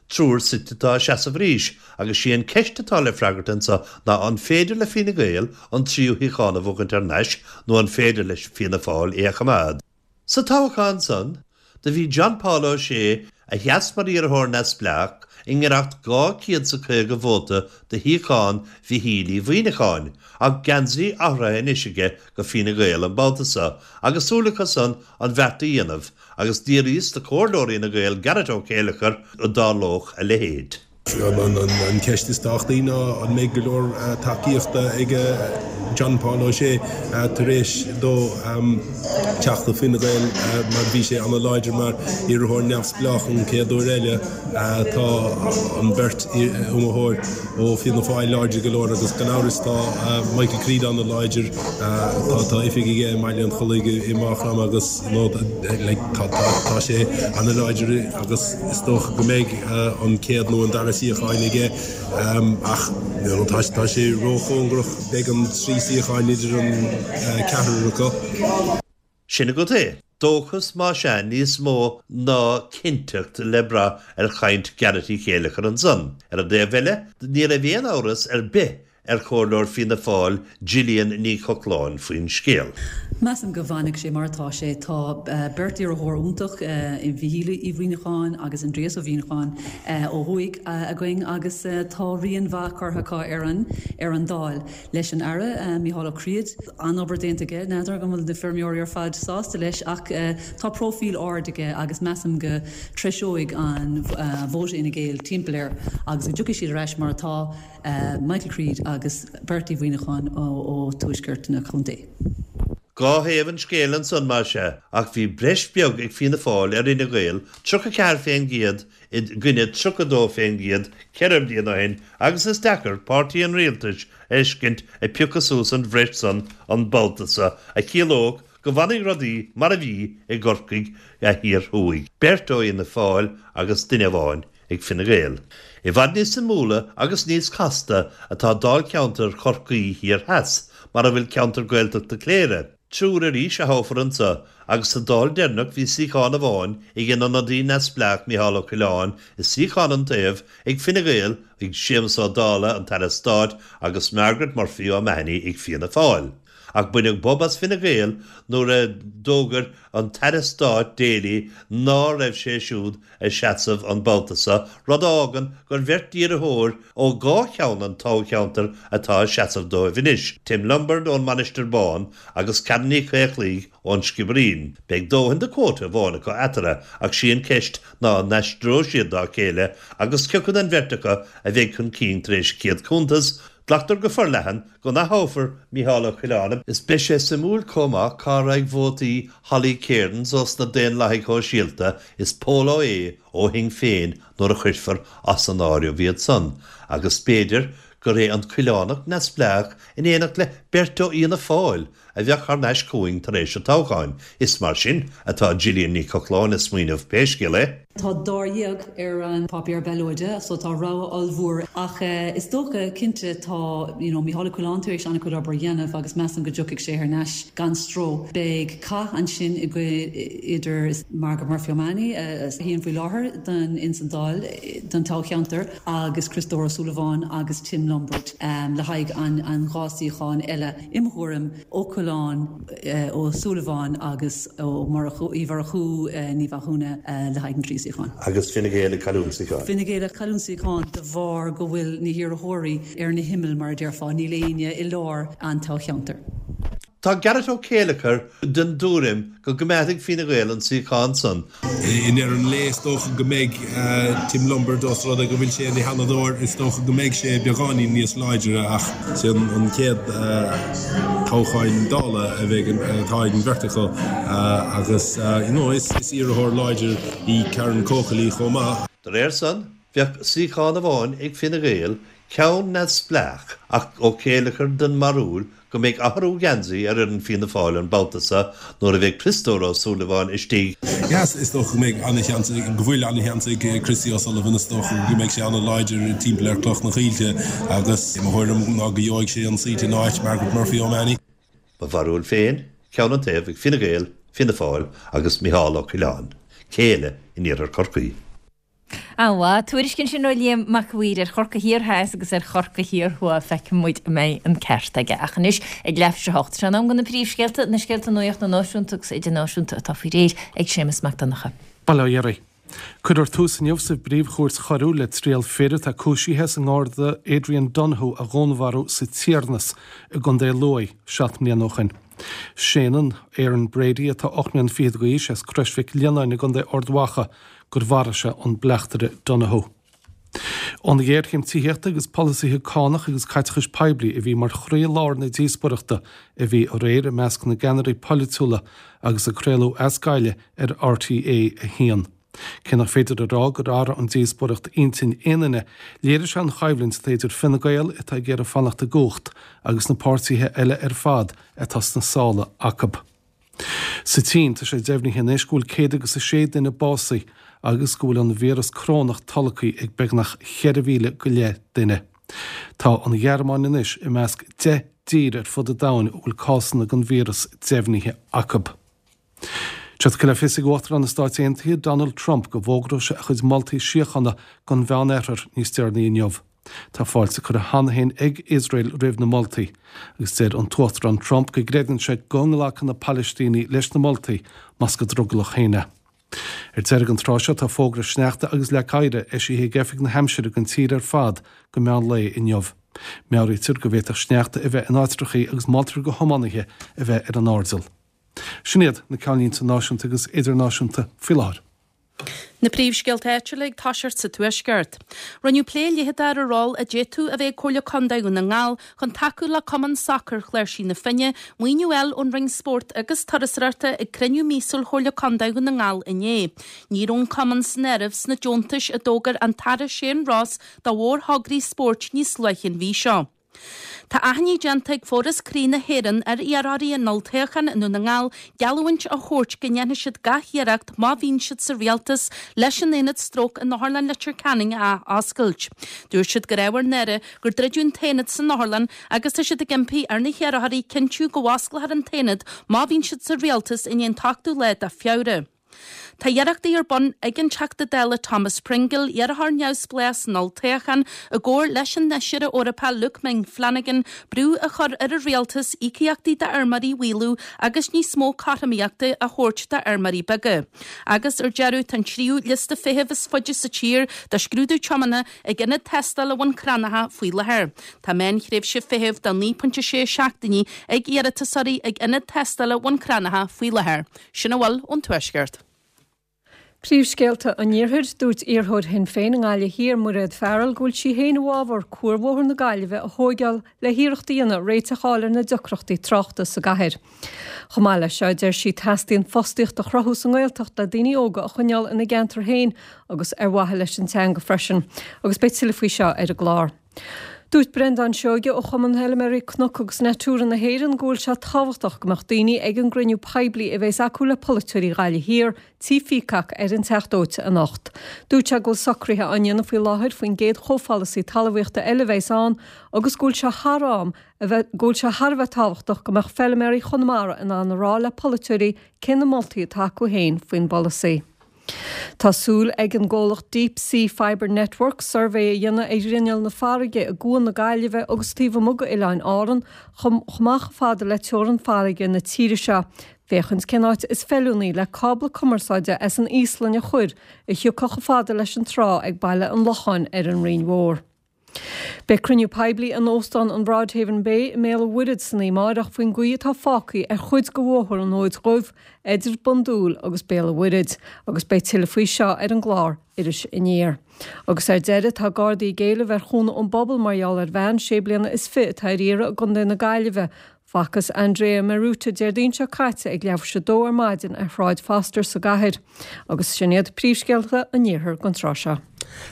Speaker 8: Triúr suite atá ag seasamh arís agus sí an ceist atá le freagairt anseo ná an féidir le Fine Gael an tríú shuíochán a bhuachaint ar n-ais nó an féidir leis Fianna Fáil é a choimeád. Sa toghchán san, do bhí John Paul O'Shea, a sheas mar iarrthóir neamhspleách, i ngiorracht dhá chéad is caoga vóta do shuíochán Mhichíl Uí Mhuimhneacháin, ach geansaí athraithe anois aige go Fine Gael an babhta seo agus súil acu san an bheart a dhéanamh agus d'fhiafraíos de chomhairleoir Fhine Gael Garret Ó Céilleachair an dtarlódh a leithéid.
Speaker 9: An cheist is tábhachtaí ná an mbeidh go leor tacaíochta ag John Paul O'Shea tar éis dó teacht ó Fine Gael mar bhí sé an-láidir mar iarrthóir neamhspleách an chéad uair eile. Tá an bheirt iomaitheoir ó Fianna Fáil láidir go leor agus gan amhras tá Michael Creed an-láidir. Tá oifig aige i mBaile an Chollaigh i Maigh Chromtha agus tá sé an-láidir agus is dócha go mbeidh an chéad nó an dara suíochán aige ach tá sé róchóngarach, beidh an trí suíochán idir an ceathrar acu.
Speaker 8: Sin agat é. Dóchas más ea níos mó ná cinnteacht le brath ar chaint Garret Uí Chéilleachair ansan. Ar an dtaobh eile, ní raibh aon amhras ar bith ar chomhairleoir Fianna Fáil Gillian Ní Chochláin faoin scéal.
Speaker 10: Measaim go bhfanfaidh sé mar atá sé. Tá beirt iarrthóir iontach i Mhichíl Uí Mhuimhneacháin agus Aindrias Ó Muimhneacháin ó thuaidh againn agus tá rian mhaith curtha acu ar an ar an Dáil. Leis an Aire Micheál Ó Creed, an-obair déanta aige, n'fheadar an bhfuil na feirmeoirí ar fad sásta leis ach tá próifíl ard aige agus measaim go dtreiseoidh an vóta Fhine Gael timpeall air agus go dtiocfaidh siad ar ais mar atá. Michael Creed agus Bert Uí Mhuimhneacháin ó tuaisceart na contae.
Speaker 8: Dhá thaobh an scéil ansan más ea, ach bhí breis beag ag Fianna Fáil ar Fhine Gael, tríocha ceathair fén gcéad i gcoinne tríocha dó fén gcéad ceithre bliana ó shin agus is deacair páirtí an rialtais a fheiscint ag piocadh suas an bhreis san an babhta seo a chiallódh go bhfanfaidh rudaí mar a bhí i gCorcaigh Thiar Thuaidh, beirt ó Fhianna Fáil agus duine amháin ag Fine Gael. I bhfad níos suimiúla agus níos casta atá dáilcheantar Chorcaí Thiar Theas, mar a bhfuil ceantar Gaeltachta Chléire. Triúr arís a thoghfar anseo, agus sa Dáil deireanach bhí suíochán amháin ag an ionadaí neamhspleách Micheál Ó Coileáin is suíochán an taobh ag Fine Gael ag Séamus Ó Dálaigh, an tAire Stáit, agus Margaret Murphy O'Mahony ag Fianna Fáil. Ach baineadh bob as Fine Gael nuair a d'fhógair an tAire Stáit Daly ná raibh sé siúd ag seasamh an babhta seo, rud a fhágann gur bheirt iarrthóir ó dhá cheann an toghcheantair atá ag seasamh dóibh anois, Tim Lombard ón Mainistir Bhán agus Karen Ní Chaochlaigh ón Sciobairín. Beidh dóthain de quota amháin acu eatarthu ach sí an cheist ná an n-aistreoidh siad dá chéile agus cioca den bheirt acu a bheidh chun cinn tar éis an chéad chuntas. Glactar go forleathan go n-ath-thoghfar Micheál Ó Coileáin. Is beidh sé suimiúil chomh maith cá raghaidh vótaí Holly Cairns ós na Daonlathaigh Shóisialta is Pól Ó hAodha ó Shinn Féin nuair a chuirfear as an áireamh iad san, agus b'fhéidir gur é an Coileánach neamhspleách in éineacht le beirt ó Fhianna Fáil a bheadh thar n-ais chugainn tar éis an toghcháin. Is mar sin atá Gillian Ní Chochláin ag smaoineamh pé scéal é.
Speaker 10: Tá dáréag ar an páipéar ballóide, so tá rogha ollmhór ach is dócha cinnte tá you know, Micheál Ó Coileáin tar éis an-chuid obair a dhéanamh agus measaim go dtiocfaidh sé thar n-ais gan stró. Beidh cath ansin idir Margaret Murphy O'Mahony a shuíonn faoi láthair don ins an Dáil don toghcheantar agus Criostóir Ó Súilleabháin agus Tim Lombard um, le haghaidh an, an dhá suíochán eile i mo thuairim Ó Coileáin, Ó Súilleabháin agus Ó Murchú, Uí Mhurchú, Ní Mhathúna le haghaidh an trí suíochán.
Speaker 8: Agus Fine Gael ag cailliúint suíochán.
Speaker 10: Fine Gael ag cailliúint suíochán de bharr go bhfuil na hiarrthóirí ar na himill mar a déarfá, níl éinne i lár an toghcheantair.
Speaker 8: Tá Garret Ó Céilleachair den dtuairim go gcoimeádfaidh Fine Gael an suíochán san.
Speaker 9: I ndeireadh an lae is dócha go mbeidh Tim Lombard, os rud é go bhfuil sé ina sheanadóir, is dócha go mbeidh sé beagáinín níos láidre ach is é an chéad toghchán Dála a bheidh atá ag an bheirt acu agus you know is iarrthóir láidir í Karen Coakley chomh maith.
Speaker 8: De réir san, bheadh suíochán amháin ag Fine Gael, ceann neamhspleách, ach Ó Céilleachair den mbarúil go mbeidh athrú geansaí ar fhoireann Fianna Fáil an babhta seo nuair a bheidh Criostóir Ó Súilleabháin istigh.
Speaker 9: Yes, is dócha go mbeidh an-sheans, go bhfuil an-sheans ag Christy O'Sullivan, is dócha go mbeidh sé an-láidir timpeall ar Cloch na Coillte agus mo thuairim ná go gheobhaidh sé an seat in áit Margaret Murphy O'Mahony.
Speaker 8: Mo bharúil féin, ceann an taobh ag Fine Gael, Fianna Fáil agus Micheál Ó Coileáin, céile in iarthar Chorcaí.
Speaker 1: An-mhaith. Tuairisc ansin ó Liam Mac a' Mhaoir ar Chorcaigh Thiar Theas agus ar Chorcaigh Thiar Thuaidh. Feicfidh muid an mbeidh an ceart aige. Ach anois, ag leathuair tar éis a hocht, tá sé in am do na príomhscéalta, na scéalta nuachta náisiúnta agus idirnáisiúnta atá faoi réir ag Séamus Mac Donncha.
Speaker 2: Bail ó Dhia oraibh. Cuirfear tús inniu sa bPríomh-Chúirt Choiriúil le triail fir atá cúisithe as an nGarda Adrian Donohoe a dhúnmharú sa Tiarnas i gContae Lú seacht mbliana ó shin. Séanann Aaron Brady atá ocht mbliana fichead d'aois as Crois Mhic Lionnáin i gContae Ard Mhacha gur mharaigh sé an bleachtaire Donohoe. An ghéarchéim tithíochta agus polasaithe cánach agus caiteachais poiblí a bhí mar chroí-lár na díospóireachta a bhí aréir i measc na gceannairí polaitiúla agus a craoladh as Gaillimh ar RTÉ a haon. Cé nach féidir a rá gur athraigh an díospóireacht intinn aon duine, léirigh sé an choimhlint atá idir Fine Gael atá ag iarraidh fanacht i gcumhacht agus na páirtithe eile ar fad atá sna sála acu. Sa tSín, tá sé deimhnithe anois go bhfuil céad agus a sé duine básaithe agus go bhfuil an víreas corónach tolgtha ag beagnach cheithre mhíle go leith duine. Tá an Ghearmáin anois i measc deich dtír ar fud an domhain a bhfuil cásanna den víreas deimhnithe acu. Tá sé tugtha le fios ag Uachtarán na Stáit Aontaithe Donald Trump go bhfógróidh sé a chuid moltaí síochána don Mheánoirthear níos deireanaí inniu. Tá fáilte curtha cheana féin ag Iosrael roimh na moltaí, agus deir an tUachtarán Trump go gcreideann sé go nglacfaidh na Palaistínigh leis na moltaí más go drogallach féin é. Ar deireadh an tráth seo tá fógra sneachta agus leac oighir eisithe ag Oifig na hAimsire don tír ar fad go meán lae inniu. Meabhraítear go bhféadfadh sneachta a bheith in áitreachaí agus moltar do thiománaithe a bheith ar an airdeall. Sin iad na ceannlínte náisiúnta agus idirnáisiúnta faoi láthair.
Speaker 3: Na príomhscéalta áitiúla ag toiseacht sa Tuaisceart. Rinneadh plé leitheadach ar an ról a d'fhéadfadh a bheith ag Comhairle Contae Dhún na nGall chun tacú le Cumann Sacair Chláirsigh na Finne, maoiniú a fháil ón Roinn Spóirt agus Turasóireachta ag cruinniú míosúil Chomhairle Contae Dhún na nGall inné. Ní raibh an cumann san áireamh sna deontais a d'fhógair an tAire Shane Ross do mhórthograí spóirt níos luaithe an mhí seo. Tá achainí déanta ag Foras Croí na hÉireann ar iarrthóirí an olltoghcháin i nDún na nGall geallúint a thabhairt go ndéanfaidh siad gach iarracht má bhíonn siad sa rialtas leis an aonad stróc in Otharlann Leitir Ceanainn a ath-oscailt. Dúirt siad gur ábhar náire gur druideadh an t-aonad san otharlann agus tá siad ag impí ar na hiarrthóirí cinntiú go bhfosclófar an t-aonad má bhíonn siad sa rialtas i ndiaidh an t-ochtú lá de Feabhra. Tá iarrachtaí ar bun ag an Teachta Dála Thomas Pringle, iarrthóir neamhspleách san olltoghchán, i gcomhar leis an Fheisire Eorpach Luke Ming Flanagan, brú a chur ar an rialtas íocaíochtaí d'fheirmeoirí a mhaolú agus níos mó cothromaíochta a thabhairt d'fheirmeoirí beaga. Agus ar deireadh, tá an tríú liosta feithimh is faide sa tír do scrúdú tiomána ag ionad tástála Bhun Cranncha faoi láthair. Tá meánthréimhse feithimh de naoi pointe sé seachtainí ag iarratasóirí ag ionad tástála Bhun Cranncha faoi láthair. Sin a bhfuil ón Tuaisceart.
Speaker 4: Príomhscéalta an Iarthair, Dúirt iarrthóir Shinn Féin i nGaillimh Thiar, Mairéad Farrell, go bhfuil sí féin i bhfabhar cuarbhóthar na Gaillimhe a thóigeáil le hiarracht a dhéanamh réiteach a fháil ar na deacrachtaí tráchta sa gcathair. Chomh maith leis seo, deir sí, teastaíonn fostaíocht a chruthú sa nGaeltacht le daoine óga a choinneáil ina gceantar féin agus ar mhaithe leis an teanga freisin. Agus beidh tuilleadh faoi seo ar an gclár. Dúirt Breandán Seoige ó Chumann Fheilméaraí Cnoc agus Natura na hÉireann go bhfuil sé tábhachtach go mbeadh daoine ag an gcruinniú poiblí a bheas acu le polaiteoirí Ghaillimh Thiar, Tí Peacock ar an Teach Dóite anocht. Dúirt sé go bhfuil socruithe á ndéanamh faoi láthair faoin gcéad chomhpholasaí talmhaíochta eile a bheas ann agus go bhfuil sé thar am a bheith go bhfuil sé thar a bheith tábhachtach go mbeadh feilméaraí Chonamara in ann a rá le polaiteoirí cé na moltaí atá acu féin faoin bpolasaí. Tá súil ag an gcomhlacht Deep Sea Fibre Network suirbhé a dhéanamh ar ghrinneall na farraige i gCuan na Gaillimhe agus taobh amuigh d'Oileáin Árann chomh maith chomh fada le teorainn farraige na tíre seo, féachaint cén áit is feiliúnaí le cábla cumarsáide as an Íoslainn a chur a thiocfadh chomh fada leis an trá ag Baile an Locháin ar an Rinn Mhór. Beidh cruinniú poiblí in Óstán an Broadhaven Bay i mBéal an Mhuirthead san oíche amárach faoin gcaoi atá fágtha ar chuid de Bhóthar an Fhóid Dhuibh idir Bun Dúill agus Béal an Mhuirthead agus beidh tuilleadh faoi seo ar an gclár Iris Aniar. Agus ar deireadh, tá Gardaí ag éileamh ar chúnamh ón bpobal mar gheall ar bhean sé bliana is fiche atá ar iarraidh i gContae na Gaillimhe. Facthas Andrea Maruta Déardaoin seo caite ag leathuair tar éis a dó ar maidin ar Shráid Foster sa gcathair. Agus sin iad príomhscéalta an iarthair don tráth seo.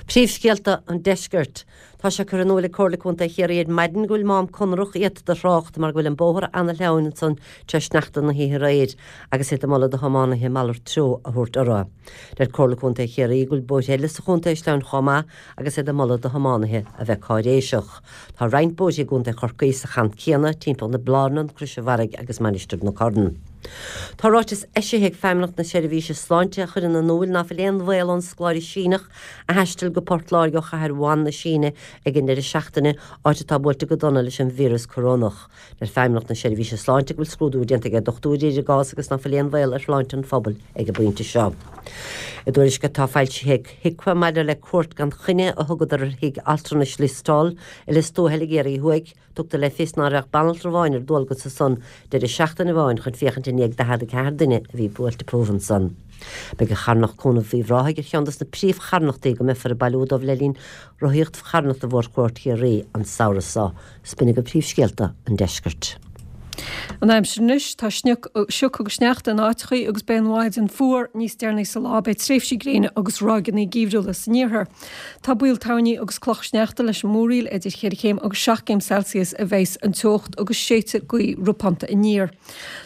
Speaker 5: Príomhscéalta an Deiscirt. Tá sé curtha in iúl ag Comhairle Contae Chiarraí ar maidin go bhfuil mám conrach iata do thrácht mar go bhfuil an bóthar ana-shleamhain ansan tar éis sneachta na hoíche aréir agus iad ag moladh do thiománaithe malairt treo a thabhairt orthu. Deir Comhairle Contae Chiarraí go bhfuil bóithre eile sa chontae sleamhain chomh maith agus iad ag moladh do thiománaithe a bheith cáiréiseach. Tá roinnt bóithre i gContae Chorcaí sa chaint céanna timpeall na Blarnan, Crois an Bharraigh agus Mainistir na Corann. Tá ráiteas eisithe ag Feidhmeannacht na Seirbhíse Sláinte a chuireann in iúl ná fuil aon bhaol ón scoláire Síneach a thaistil go Port Láirge ó chathair Wuhan na Síne ag an deireadh seachtaine, áit atá buailte go dona leis an víreas corónach. Deir Feidhmeannacht na Seirbhíse Sláinte go bhfuil scrúdú déanta ag dochtúirí ar an gcás agus ná fuil aon bhaol ar shláinte an phobail ag an bpointe seo. I dtuairisc atá foilsithe ag HIQA maidir le cuairt gan choinne a thugadar ar thigh altranais Lios Tuathail i Lios Tuathail i gCiarraí Thuaidh, tugtar le fios ná raibh banaltra amháin ar dualgas ansan deireadh seachtaine amháin chun féachaint i ndiaidh daichead a ceathair duine a bhí buailte fúthu ansan. Beidh an charthanacht Cúnamh Uíbh Ráthaigh ar cheann dos na príomhcharthanachtaí go mbeifear ag bailiú dóibh le linn rothaíocht charthanachta Mhórchuairt Chiarraí an samhradh seo. 'S b'in agaibh príomhscéalta an deiscirt.
Speaker 4: An aimsir anois, tá sioc agus sneachta in áiteachaí agus beidh an mhaidin fuar níos deireanaí sa lá, beidh tréimhsí gréine agus ráigeanna geimhriúla san iarthar. Tá baol toirní agus cloch sneachta leis an múraíl, idir cheithre chéim agus seacht gcéim Celsius a bheas an teocht agus séidfidh gaoth ropánta aniar.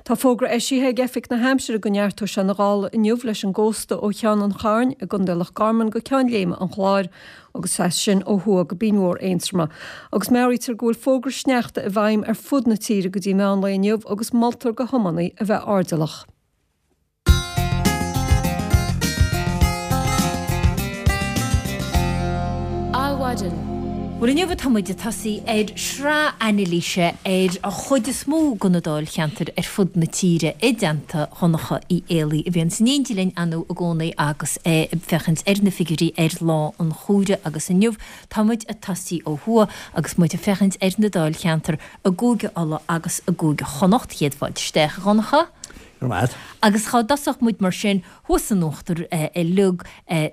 Speaker 4: Tá fógra eisithe ag Oifig na hAimsire go neartóidh sé na gála inniu leis an gcósta ó Cheann an Chairn i gContae Loch Garman go Ceann Léime an Chláir agus as sin ó thuaidh go Binn Mhór Aontroma. Agus meabhraítear go bhfuil fógra sneachta i bhfeidhm ar fud na tíre go dtí meán lae inniu agus moltar do thiománaí a bheith airdeallach.
Speaker 1: Adhmhaidin. Bhuel inniu tá muid ag tosaí ar shraith anailíse ar an chuid is mó de na dáilcheantair ar fud na tíre i dteannta Dhonncha Uí Éalaí a bhíonn in éindí linn ann i gcónaí agus é ag féachaint ar na figiúirí ar lá an chomhairimh agus inniu tá muid ag tosaí ó thuaidh agus muid ag féachaint ar na dáilcheantair i gCúige Uladh agus i gCúige Chonnacht. Céad fáilte isteach, a Dhonncha.
Speaker 11: Go raibh maith.
Speaker 1: Agus chá dtosódh muid mar sin thuas in uachtar uilig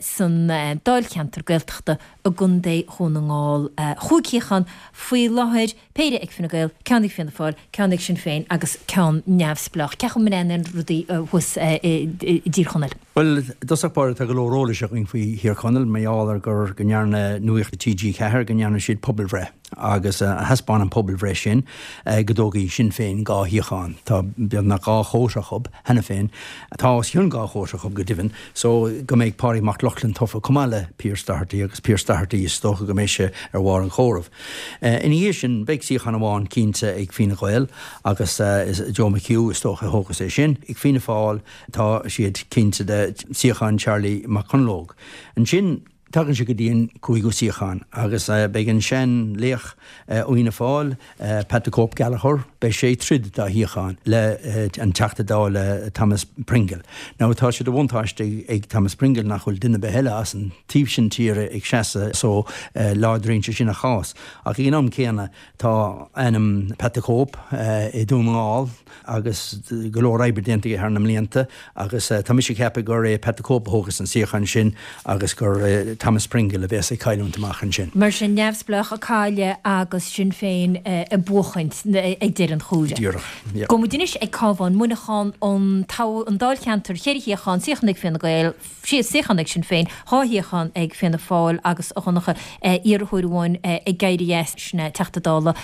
Speaker 1: san dáilcheantar Gaeltachta i gContae Dhún na nGall. Chúig shuíochán faoi láthair, péire ag Fine Gael, ceann ag Fianna Fáil, ceann ag Sinn Féin agus ceann neamhspleách. Cén chaoi a mbreathnaíonn rudaí thuas i dTír Chonaill?
Speaker 11: Bhuel, i dtosach báire tá go leor eolais againn faoi Thír Chonaill mar gheall ar gur go ndearna Nuacht T G ceathair go ndearna siad pobalbhreith agus thaispeáin an pobalbhreith sin go dtógfaidh Sinn Féin dhá shuíochán. Tá beagnach dhá chóta acu cheana féin. Tá os cionn dhá chóta acu go deimhin, so go mbeidh Pádraig Mac Lochlainn tofa chomh maith le Pearse Doherty agus Pearse Doherty is dócha go mbeidh sé ar bharr an chomhairimh. Ina dhiaidh sin beidh suíochán amháin cinnte ag Fine Gael agus is Joe McHugh is dócha a thógfas é sin. Ag Fianna Fáil tá siad cinnte de suíochán Charlie Mac Conlóg. Ansin tagann sé go dtí an cúigiú suíochán agus beidh an sean-laoch ó Fhianna Fáil, Pat the Cope Gallagher, beidh sé ag troid dá shuíochán le an Teachta Dála Thomas Pringle. Now tá sé de bhuntáiste ag Thomas Pringle nach bhfuil duine ar bith eile as an taobh sin tíre ag seasamh so láidríonn sé sin a chás. Ach ag an am céanna tá ainm Pat the Cope i Dún na nGall agus go leor oibre déanta aige thar na mblianta agus tá mise ag ceapadh gur é Pat the Cope a thógfas an suíochán sin agus gur Thomas Pringle a bheas ag cailliúint amach ansin.
Speaker 1: Mar sin neamhspleách ag cailleadh agus Sinn Féin ag buachaint ag deireadh an chomhairimh.
Speaker 11: Díreach, yeah.
Speaker 1: Gabhfaidh muid anois ag Cabhán, Muineachán, an an dáilcheantar, ceithre shuíochán, suíochán ag Fianna Gael, suíochán ag Sinn Féin, dhá shuíochán ag Fianna Fáil agus a Dhonncha, iarrthóir amháin ag éirí as, sin é Teachta Dála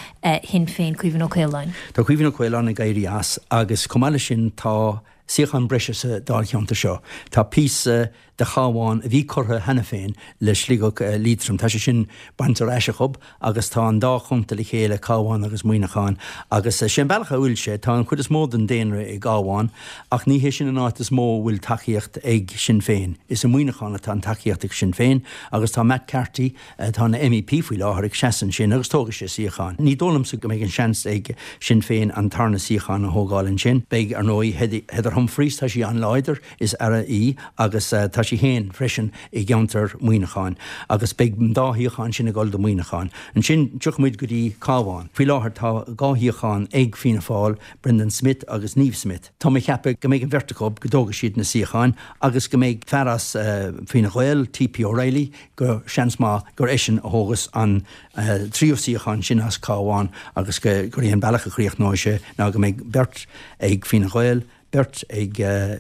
Speaker 1: Shinn Féin, Caoimhín Ó Caoláin.
Speaker 11: Tá Caoimhín Ó Caoláin ag éirí as agus chomh maith leis sin tá suíochán breise sa dáilcheantar seo. Tá píosa de Chabhán a bhí curtha cheana féin le Sligeach Liatroim. Tá sé sin bainte ar ais acu agus tá an dá chontae le chéile, Cabhán agus Muineachán. Agus sé an bealach a bhfuil sé, tá an chuid is mó den daonra i gCabhán ach ní hé sin an áit is mó a bhfuil tacaíocht ag Sinn Féin. Is i Muineachán atá an tacaíocht ag Sinn Féin agus tá Matt Carthy, atá ina MEP faoi láthair, ag seasamh ansin agus tógfaidh sé suíochán. Ní dóigh liomsa go mbeidh an seans ag Sinn Féin an tarna suíochán a thógáil ansin. Beidh, ar ndóigh, Heather Humphreys, tá sí an-láidir, is aire í agus tá sí féin freisin i gceantar Mhuineacháin agus beidh an dá shuíochán sin ag dul do Mhuineachán. Ansin tiocfaidh muid go dtí Cabhán. Faoi láthair tá dhá shuíochán ag Fianna Fáil, Brendan Smith agus Niamh Smith. Tá mé ag ceapadh go mbeidh an bheirt acu, go dtógfaidh siad na suíocháin agus go mbeidh fear as Fine Gael, TP O'Reilly, go seans maith gur eisean a thógas an tríú suíochán sin as Cabhán agus gur é an bealach a chríochnóidh sé ná go mbeidh beirt ag Fine Gael, beirt ag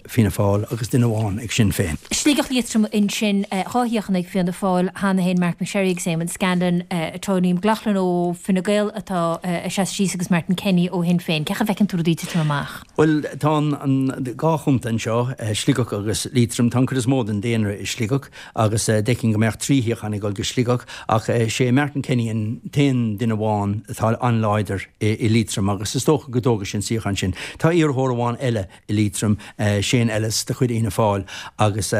Speaker 11: Fianna Fáil agus duine amháin ag Sinn Féin.
Speaker 1: Sligeach Liatroim ansin, dhá shuíochán ag Fianna Fáil cheana féin, Marc MacSharry agus Eamon Scanlon, Tony McLoughlin ó Fine Gael atá ag seasamh síos agus Martin Kenny ó Shinn Féin. Cén chaoi a bhfeiceann tú rudaí ag titim amach?
Speaker 11: Bhuel, tá an dhá chontae anseo, Sligeach agus Liatroim. Tá an chuid is mó den daonra i Sligeach agus d'fheicfinn go mbeadh trí shuíochán ag dul go Sligeach ach sé Martin Kenny an t-aon duine amháin atá an-láidir i Liatroim agus is dócha go dtógfaidh sé an suíochán sin. Tá iarrthóir amháin eile i Liatroim, Shane Ellis de chuid Fhianna Fáil agus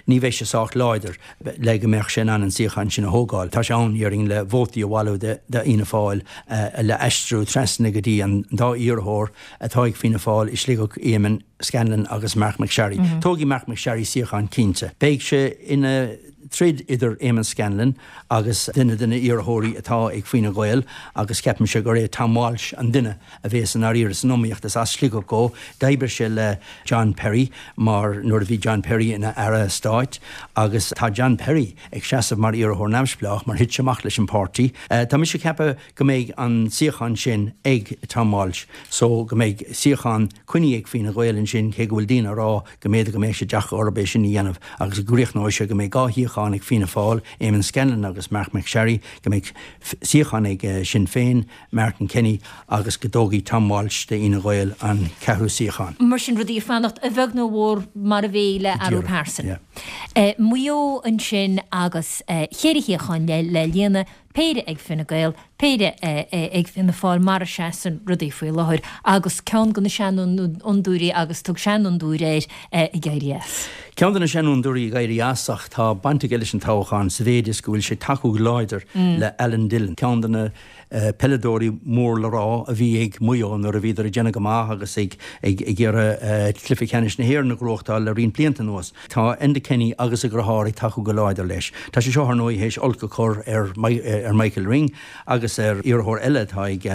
Speaker 11: ní bheidh sé sách láidir le go mbeadh sé in ann an suíochán sin a thógáil. Tá sé ann, déarfainn, le vótaí a bhailiú d'Fhianna Fáil le aistriú trasna go dtí an dá iarrthóir atá ag Fianna Fáil i Sligeach, Eamon Scanlon agus Marc MacSharry. Tógfaidh Marc MacSharry suíochán cinnte. Beidh sé ina troid idir Eamon Scanlon agus duine de na hiarrthóirí atá ag Fine Gael agus ceapaimse gur é Tom Walsh an duine a bhéas i ndáiríre san iomaíocht. Is as Sligeach dó. D'oibrigh sé le John Perry mar nuair a bhí John Perry ina Aire Stáit agus tá John Perry ag seasamh mar iarrthóir neamhspleách mar thit sé amach leis an páirtí. Tá mise ag ceapadh go mbeidh an suíochán sin ag Tom Walsh so go mbeidh suíochán coinnithe ag Fine Gael ansin cé go bhfuil daoine ag rá go mb'fhéidir go mbeidh sé deacair orthu é sin a dhéanamh agus go gcríochnóidh sé go mbeidh dhá shuíochán ag Fianna Fáil, Eamon Scanlon agus Marc MacSharry, go mbeidh suíochán ag Sinn Féin, Martin Kenny, agus go dtógfaidh Tom Walsh de Fhine Gael an ceathrú suíochán.
Speaker 1: Mar sin, rudaí ag fanacht a bheag nó a mhór mar a bhí le athrú pearsan. Maigh Eo ansin agus ceithre shuíochán le líonadh, péire ag Fine Gael, péire ag Fianna Fáil mar a seasann rudaí faoi láthair agus ceann de na seanfhondúirí agus tug seanfhondúir air ag éirí as.
Speaker 11: Ceann de na seanfhondúirí ag éirí as ach tá baint aige leis an toghchán sa mhéid is go bhfuil sé ag tacú go láidir le Alan Dillon, ceann de na peileadóirí mór le rá a bhí ag Maigh Eo nuair a bhíodar ag déanamh go maith agus ag iarraidh cluiche ceannais na hÉireann a ghnóthachtáil le roinnt blianta anuas. Tá Enda Kenny agus a dheartháir ag tacú go láidir leis. Tá sé seo, ar ndóigh, théis olc a chur ar ar Michael Ring agus ar iarrthóir eile atá ag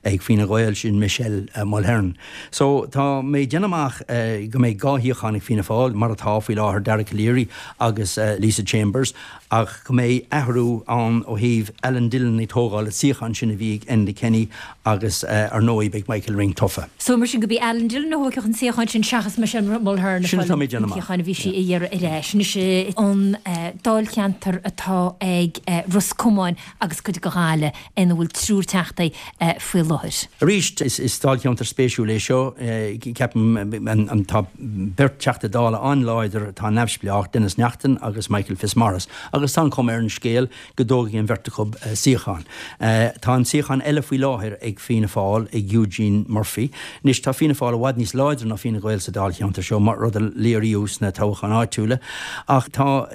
Speaker 11: ag Fine Gael, sin Michelle Mulheren. So tá mé ag déanamh amach go mbeidh dhá shuíochán ag Fianna Fáil, mar atá faoi láthair, Dara Calleary agus Lisa Chambers, ach go mbeidh athrú ann ó thaobh Alan Dillon ag tógáil an suíochán sin a bhí ag Enda Kenny agus ar ndóigh beidh Michael Ring tofa.
Speaker 1: So mar sin go b'í Alan Dillon a thógfadh an suíochán sin seachas Michelle Mulheren
Speaker 11: a fáil an
Speaker 1: suíochán a bhí sí a iarraidh ar ais. Anois an dáilcheantar atá ag Ros Comáin agus cuid de Ghaillimh ina bhfuil triúr teachtaí faoi láthair.
Speaker 11: Arís is dáilcheantar spéisiúil é seo. Ceapaim tá beirt Teachta Dála an-láidir atá neamhspleách, Denis Naughten agus Michael Fitzmaurice, agus tá an chuma ar an scéal go dtógfaidh an bheirt acu suíochán. Tá an suíochán eile faoi láthair ag Fianna Fáil, ag Eugene Murphy. Anois, tá Fianna Fáil i bhfad níos láidre ná Fine Gael sa dáilcheantar seo, mar rud a léiríodh sna toghcháin áitiúla. Ach tá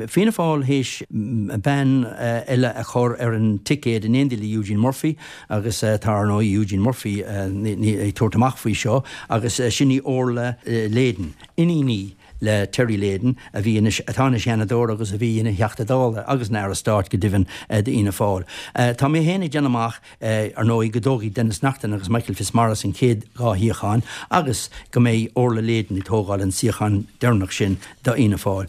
Speaker 11: Fianna Fáil théis bean eile a chur ar an ticéad in éindí le Eugene Murphy agus tá, ar ndóigh, Eugene Murphy ag tabhairt amach faoi seo agus sin í Orla Leyden, iníon í. le Terry Leyden a bhí anois, atá ina Sheanadóir agus a bhí ina Theachta Dála agus ina Aire Stáit go deimhin d'Fhianna Fáil. Tá mé féin ag déanamh amach, ar ndóigh, go dtógfaidh Denis Naughten agus Michael Fitzmaurice an chéad dhá shuíochán agus go mbeidh Orla Leyden ag tógáil an suíochán deireanach sin d'Fhianna Fáil.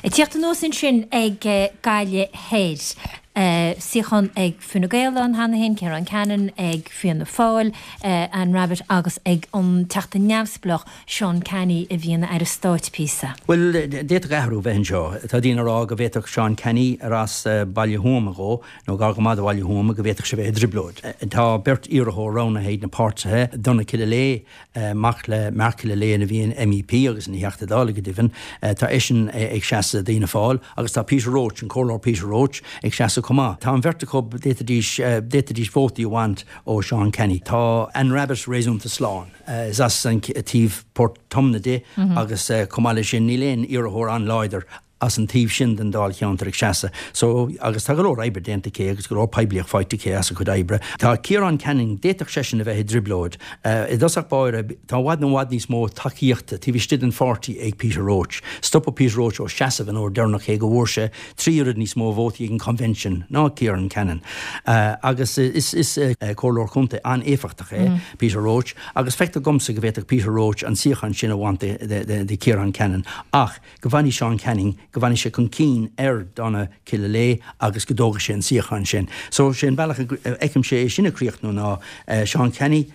Speaker 1: Ag tíocht anuas ansin ag Gaillimh Thoir. Suíochán ag Fine Gael ann cheana féin, Ciarán Cannon ag Fianna Fáil, Anne Rabbitte agus ag an Teachta Neamhspleách Seán Canney a bhí ina Aire Stáit píosa.
Speaker 11: Bhuel, d'fhéadfadh athrú bheith anseo. Tá daoine ag rá go bhféadfadh Seán Canney, ar as Baile Thuama dhó, nó gar go maith do Bhaile Thuama, go bhféadfadh sé bheith i dtrioblóid. Tá beirt iarrthóir roghnaithe ag na páirtithe, Donagh Killilea, mac le Mark Killilea a bhí ina MEP agus ina Theachta Dála go deimhin, tá eisean ag seasamh d'Fhianna Fáil agus tá Peter Roche, an Comhairleoir Peter Roche, ag seasamh chomh maith. Tá an bheirt acu, d'fhéadfaidís, d'fhéadfaidís vótaí a bhaint ó Seán Canney. Tá Anne Rabbitte réasúnta slán. Is as an taobh Port Omna di agus chomh maith leis sin níl aon iarrthóir an-láidir as an taobh sin den dáilcheantar ag seasamh. So, agus tá go leor oibre déanta aici agus go leor poiblíocht faighte aici as a cuid oibre. Tá Ciarán Canning, d'fhéadfadh seisean a bheith i dtrioblóid. I dtosach báire, tá i bhfad i bhfad níos mó tacaíochta taobh istigh den pháirtí ag Peter Roche. Stopadh Peter Roche ó seasamh an uair deireanach cé go bhfuair sé trí oiread níos mó vótaí ag an convention ná Ciarán Canning. Agus is is comhairleoir contae an-éifeachtach é Peter Roche agus feictear domsa go bhféadfadh Peter Roche an suíochán sin a bhaint de de Ciarán Canning. Ach go bhfanfaidh Seán Canning, go bhfanfaidh sé chun cinn ar Donagh Killilea agus go dtógfaidh sé an suíochán sin. So sé an bealach a fheicimse é sin ag críochnú ná Seán Canney,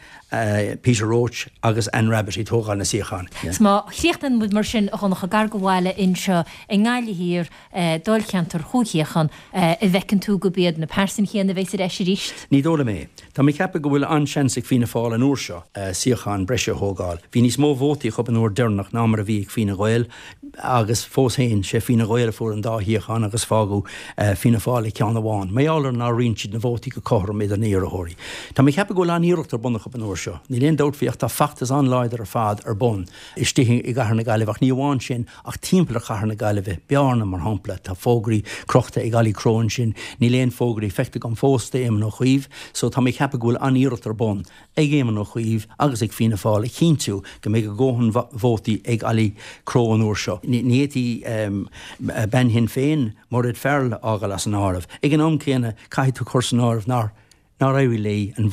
Speaker 11: Peter Roche agus Anne Rabbitte ag tógáil na suíochán.
Speaker 1: 'S má chríochnaíonn muid mar sin, a Dhonncha, gar do bhaile anseo i nGaillimh Thiar, dáilcheantar chúig shuíochán, an bhfeiceann tú gurb iad na pearsain chéanna a bheas ar ais arís?
Speaker 11: Ní dóigh liom é. Tá mé ag ceapadh go bhfuil an-seans ag Fianna Fáil an uair seo suíochán breise a thógáil. Bhí níos mó vótaí acu an uair deireanach ná mar a bhí ag Fine Gael agus fós féin, sé Fine Gael a fuair an dá shuíochán agus fágadh Fianna Fáil le ceann amháin. Mar gheall ar nár roinn siad na vótaí go cothrom idir na hiarrthóirí. Tá mé ag ceapadh go bhfuil an-iarracht ar bun acu an uair seo. Níl aon dabht faoi ach tá feachtas an-láidir ar fad ar bun istigh i gcathair na Gaillimhe ach ní amháin sin ach timpeall ar chathair na Gaillimhe, Bearna mar shampla, tá fógraí crochta ag Ollie Crowe ansin, níl aon fógraí feicthe agam fós d'Éamon Ó Cuív so tá mé ag ceapadh go bhfuil an-iarracht ar bun ag Éamon Ó Cuív agus ag Fianna Fáil a chinntiú go mbeidh a dhóthain vótaí ag Ollie Crowe an uair seo. Ní fhéadfaí bean Shinn Féin, Mairéad Farrell, a fhágáil as an áireamh. Ag an am céanna caithfidh tú cur san áireamh nár nár éirigh léi an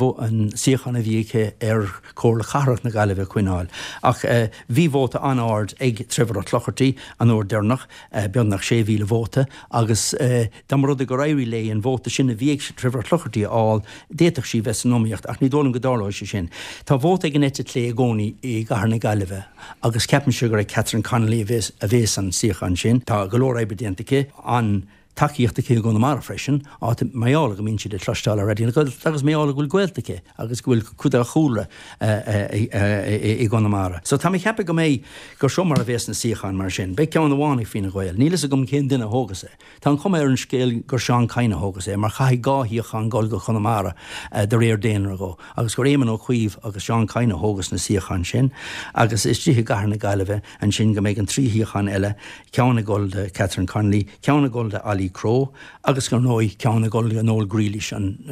Speaker 11: suíochán a bhí aici ar Chomhairle Cathrach na Gaillimhe a choinneáil. Ach bhí vóta an-ard ag Trevor Ó Clochartaigh an uair deireanach, beagnach sé mhíle vóta, agus dá mba rud é gur éirigh léi an vóta sin a bhí ag Trevor Ó Clochartaigh a fháil, d'fhéadfadh sí bheith san iomaíocht, ach ní dóigh liom go dtarlóidh sé sin. Tá vóta ag an eite chlé i gcónaí i gcathair na Gaillimhe agus ceapaimse gur ag Catherine Connolly a bhéas an suíochán sin. Tá go leor oibre déanta aici, an. tacaíocht aici i gConamara freisin, áit mar gheall go mbíonn siad ag cloisteáil ar Raidió na Gaeltachta agus mar gheall go bhfuil gaolta aici agus go bhfuil cuid dá chúlra i gConamara. So tá mé ag ceapadh go mbeidh, gur seo mar a bhéas na suíocháin mar sin. Beidh ceann amháin ag Fine Gael. Níl fhios agam cén duine a thógas é. Tá an chuma ar an scéal gur Seán Kyne a thógas é mar chaithfidh dhá shuíochán dul go Conamara de réir daonra dhó agus gur Éamon Ó Cuív agus Seán Kyne a thógas na suíocháin sin agus istigh i gcathair na Gaillimhe ansin go mbeidh an trí shuíochán eile, ceann ag dul do Catherine Connolly, ceann ag dul do Ollie Crowe agus ar ndóigh ceann ag dul do Noel Grealish, an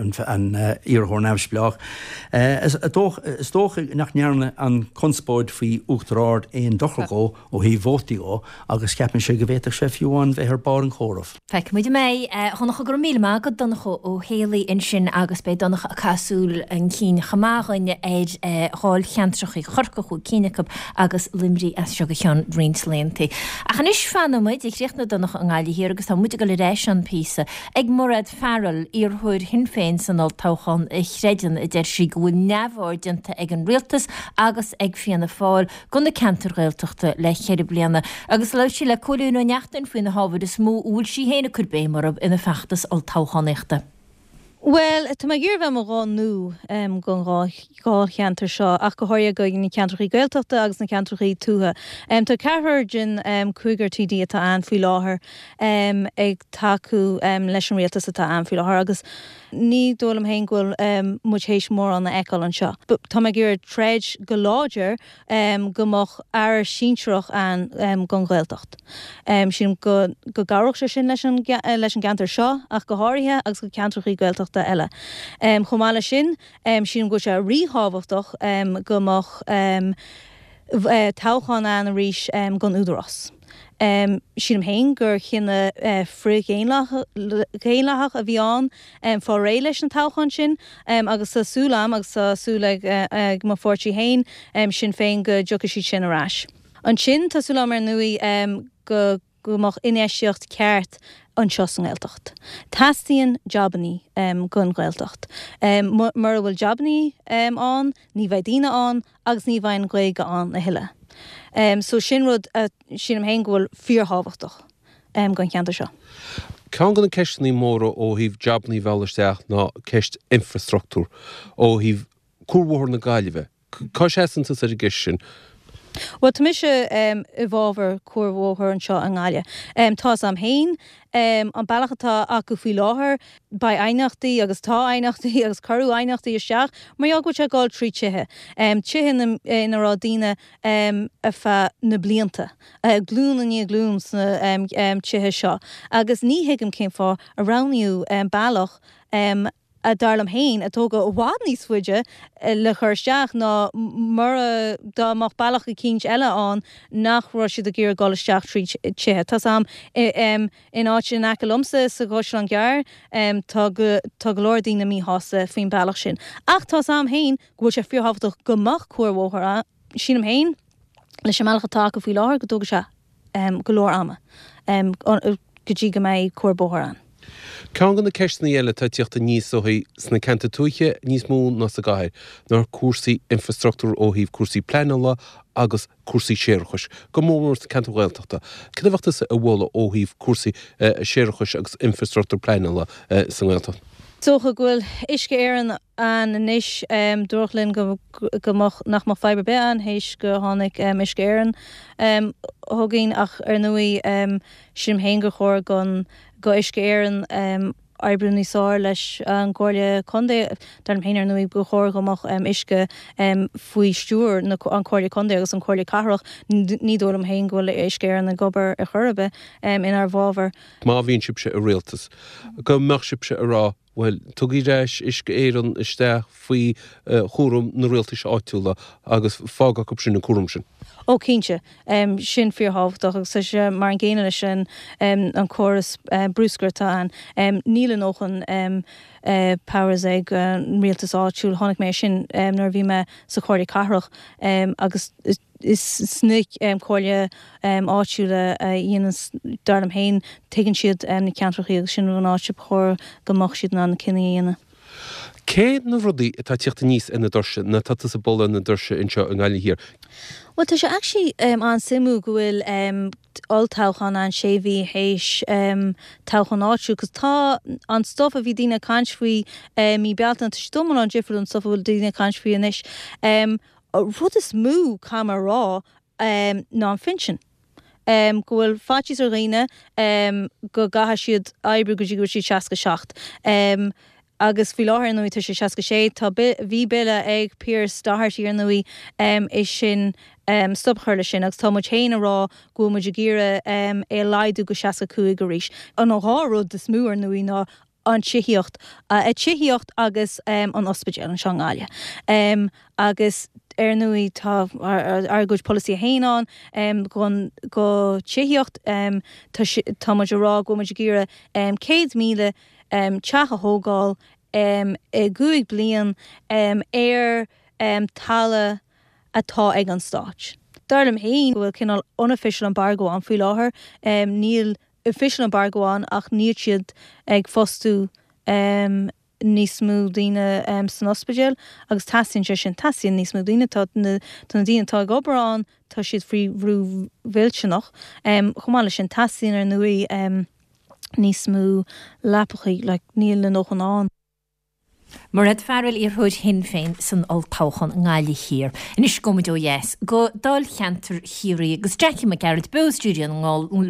Speaker 11: iarrthóir neamhspleách. Is dócha nach ndearna an chonspóid faoi Uachtar Ard aon dochar dhó ó thaobh vótaí dhó agus ceapaimse go bhféadfadh sé fiú amháin bheith ar barr an chomhairimh.
Speaker 1: Feicfidh muid an mbeidh. A Dhonncha, go raibh míle maith agat, Donncha Ó Héalaí ansin agus beidh Donncha ag caitheamh súil an chinn chomh maith dhúinn ar dháilcheantrachaí Chorcaí, chúig cinn acu, agus Luimnigh as seo go ceann roinnt laethanta. Ach anois fanfaidh muid, chríochnaigh Donncha i nGaillimh Thiar agus tá muid ag dul ar ais ann píosa ag Mairéad Farrell, iarrthóir Shinn Féin san olltoghchán a chreideann, a deir sí, go bhfuil neamhaird déanta ag an rialtas agus ag Fianna Fáil go na ceantair Ghaeltachta le ceithre bliana. Agus labhair sí le Cóilín Ó Neachtain faoi na hábhair is mó a bhfuil sí féin ag cur béim orthu ina feachtas olltoghchánaíochta.
Speaker 12: Bhuel, tá mé ag iarraidh bheith i mo ghuth nua don dháilcheantar seo, ach go háirithe do na ceantrachaí Gaeltachta agus na ceantrachaí tuaithe. Tá ceathrar den cúigear TD atá ann faoi láthair ag tacú leis an rialtas atá ann faoi láthair agus ní dóigh liom féin go bhfuil muid théis mórán a fheiceáil anseo. Tá mé ag iarraidh troid go láidir go mbeadh aire sinsearach ann don Ghaeltacht. Sílim go go gcabhródh sé sin leis an leis an gceantar seo ach go háirithe agus go ceantrachaí Gaeltachta eile. Chomh maith leis sin, sílim go bhfuil sé ríthábhachtach go mbeadh toghchán ann arís don Údarás. Sílim féin gur chinneadh frith-dhaonlathach a bhí ann fáil réidh leis an toghchán sin agus tá súil agam agus tá súil ag mo pháirtí féin, Sinn Féin, go dtiocfaidh siad sin ar ais. Ansin tá súil agam ar ndóigh go go mbeadh infheistíocht ceart anseo sa nGaeltacht. Teastaíonn jabannaí don Ghaeltacht. Mura bhfuil jabannaí ann, ní bheidh daoine ann agus ní bheidh an Ghaeilge ann a thuilleadh. So sin rud a sílim féin go bhfuil fíorthábhachtach don cheantar seo.
Speaker 2: Ceann de na ceisteanna móra ó thaobh jabannaí a mhealladh isteach ná ceist infreastruchtúr ó thaobh Cuarbhóthar na Gaillimhe. Cá seasann tusa ar an gceist sin?
Speaker 12: Bhuel, tá mise i bhfabhar cuarbhóthar anseo i nGaillimh. Tá 'fhios a'm féin, an bealach atá acu faoi láthair, beidh aighneachtaí agus tá aighneachtaí agus cuireadh aighneachtaí isteach mar gheall go bhfuil sé ag dul trí tithe, tithe ina raibh daoine ar feadh na blianta, glún i ndiaidh glún sna tithe seo agus ní thuigim cén fáth a roghnaíodh bealach a dar liom féin, a tógadh i bhfad níos faide le cur isteach ná mura, dá mbeadh bealach eicínt eile ann nach raibh siad ag iarraidh dul isteach trí tithe. Tá's a'm, in áit in aice liomsa sa gCaisleán Gearr, tá go, tá go leor daoine míshásta faoin bealach sin. Ach tá's a'm féin go bhfuil sé fíorthábhachtach go mbeadh cuarbhóthar ann. Sílim féin, leis an mbealach atá acu faoi láthair, go dtógfaidh sé go leor ama go dtí go mbeidh cuarbhóthar ann.
Speaker 2: Ceann de na ceisteanna eile atá ag tíocht aníos ó thaobh sna ceantair tuaithe níos mó ná sa gcathair ná cúrsaí infreastruchtúir ó thaobh cúrsaí pleanála agus cúrsaí séarachais, go mór mór sna ceantair Ghaeltachta. Cad a bheadh tusa a mholadh ó thaobh cúrsaí séarachais agus infreastruchtúr pleanála sa nGaeltacht?
Speaker 12: Is dócha go bhfuil Uisce Éireann ann anois. Dúradh linn go go mbeadh, nach mbeadh fadhb ar bith ann théis go tháinig Uisce Éireann chugainn ach ar ndóigh sílim féin gur chóir don go Uisce Éireann oibriú níos fearr leis an gComhairle Contae. Dar liom féin ar ndóigh gur chóir go mbeadh uisce faoi stiúir na an Comhairle Contae agus an Comhairle Cathrach. Ní dóigh liom féin go bhfuil Uisce Éireann ag obair ar chor ar bith inár bhfabhar.
Speaker 2: Má bhíonn sibhse i rialtas, go mbeadh sibhse ag rá Bhuel, tugaigí ar ais Uisce Éireann isteach faoi chúram na rialtais áitiúla agus fág acu sin an cúram sin.
Speaker 12: Ó cinnte, sin fíorthábhachtach agus tá sé mar an gcéanna leis an an córas bruscair atá ann. Níl a ndóthain powers ag an rialtas áitiúil. Chonaic mé sin nuair a bhí mé sa Chomhairle Cathrach agus is sna comhairle áitiúla a dhéanann, dar liom féin, tuigeann siad na ceantrachaí agus sin an áit ba chóir go mbeadh siad in ann na cinní a dhéanamh.
Speaker 2: Cé na rudaí atá ag tíocht aníos ar na doirse, nó atá tusa ag bualadh ar na doirse anseo i nGaillimh Thiar?
Speaker 12: Bhuel, tá sé actually an-suimiúil go bhfuil olltoghchán ann sé mhí théis toghchán áitiúil, 'cause tá an stuff a bhí daoine ag caint faoi mí Bealtaine, tá sé iomlán difriúil ón stuff a bhfuil daoine ag caint faoi anois. Rud is mó, caithfidh mé a rá, ná an phinsean. Go bhfuil faitíos ar dhaoine go gcaithfidh siad oibriú go dtí go bhfuil siad seasca seacht. Agus faoi láthair, ar ndóigh, tá sé seasca sé. Tá, bhí bille ag Pearse Doherty, ar ndóigh, é sin, stop a chur leis sin agus tá muid féin ag rá go bhfuil muid ag iarraidh é a laghdú go seasca cúig arís. An dhá rud is mó, ar ndóigh, ná an tithíocht, tithíocht agus an ospidéal anseo i nGaillimh. Agus ar ndóigh tá ár gcuid polasaithe féin ann don go tithíocht, tá tá muid ag rá go bhfuil muid ag iarraidh céad míle teach a thógáil i gcúig bliain ar talamh atá ag an Stát. Dar liom féin go bhfuil cineál unofficial embargo ann faoi láthair, níl official embargo ann ach níl siad ag fostú níos mó daoine san ospidéal agus teastaíonn sé sin, teastaíonn níos mó daoine, tá na tá na daoine atá ag obair ann, tá siad faoi bhrú mhillteanach. Chomh maith leis sin, teastaíonn ar ndóigh níos mó leapachaí, like níl a ndóthain ann.
Speaker 1: Mairéad Farrell, iarrthóir Shinn Féin san olltoghchán i nGaillimh Thiar. Anois gabhfaidh muid ó dheas go Dáilcheantar Chiarraí agus Jackie Mac Gearailt beo i stiúideo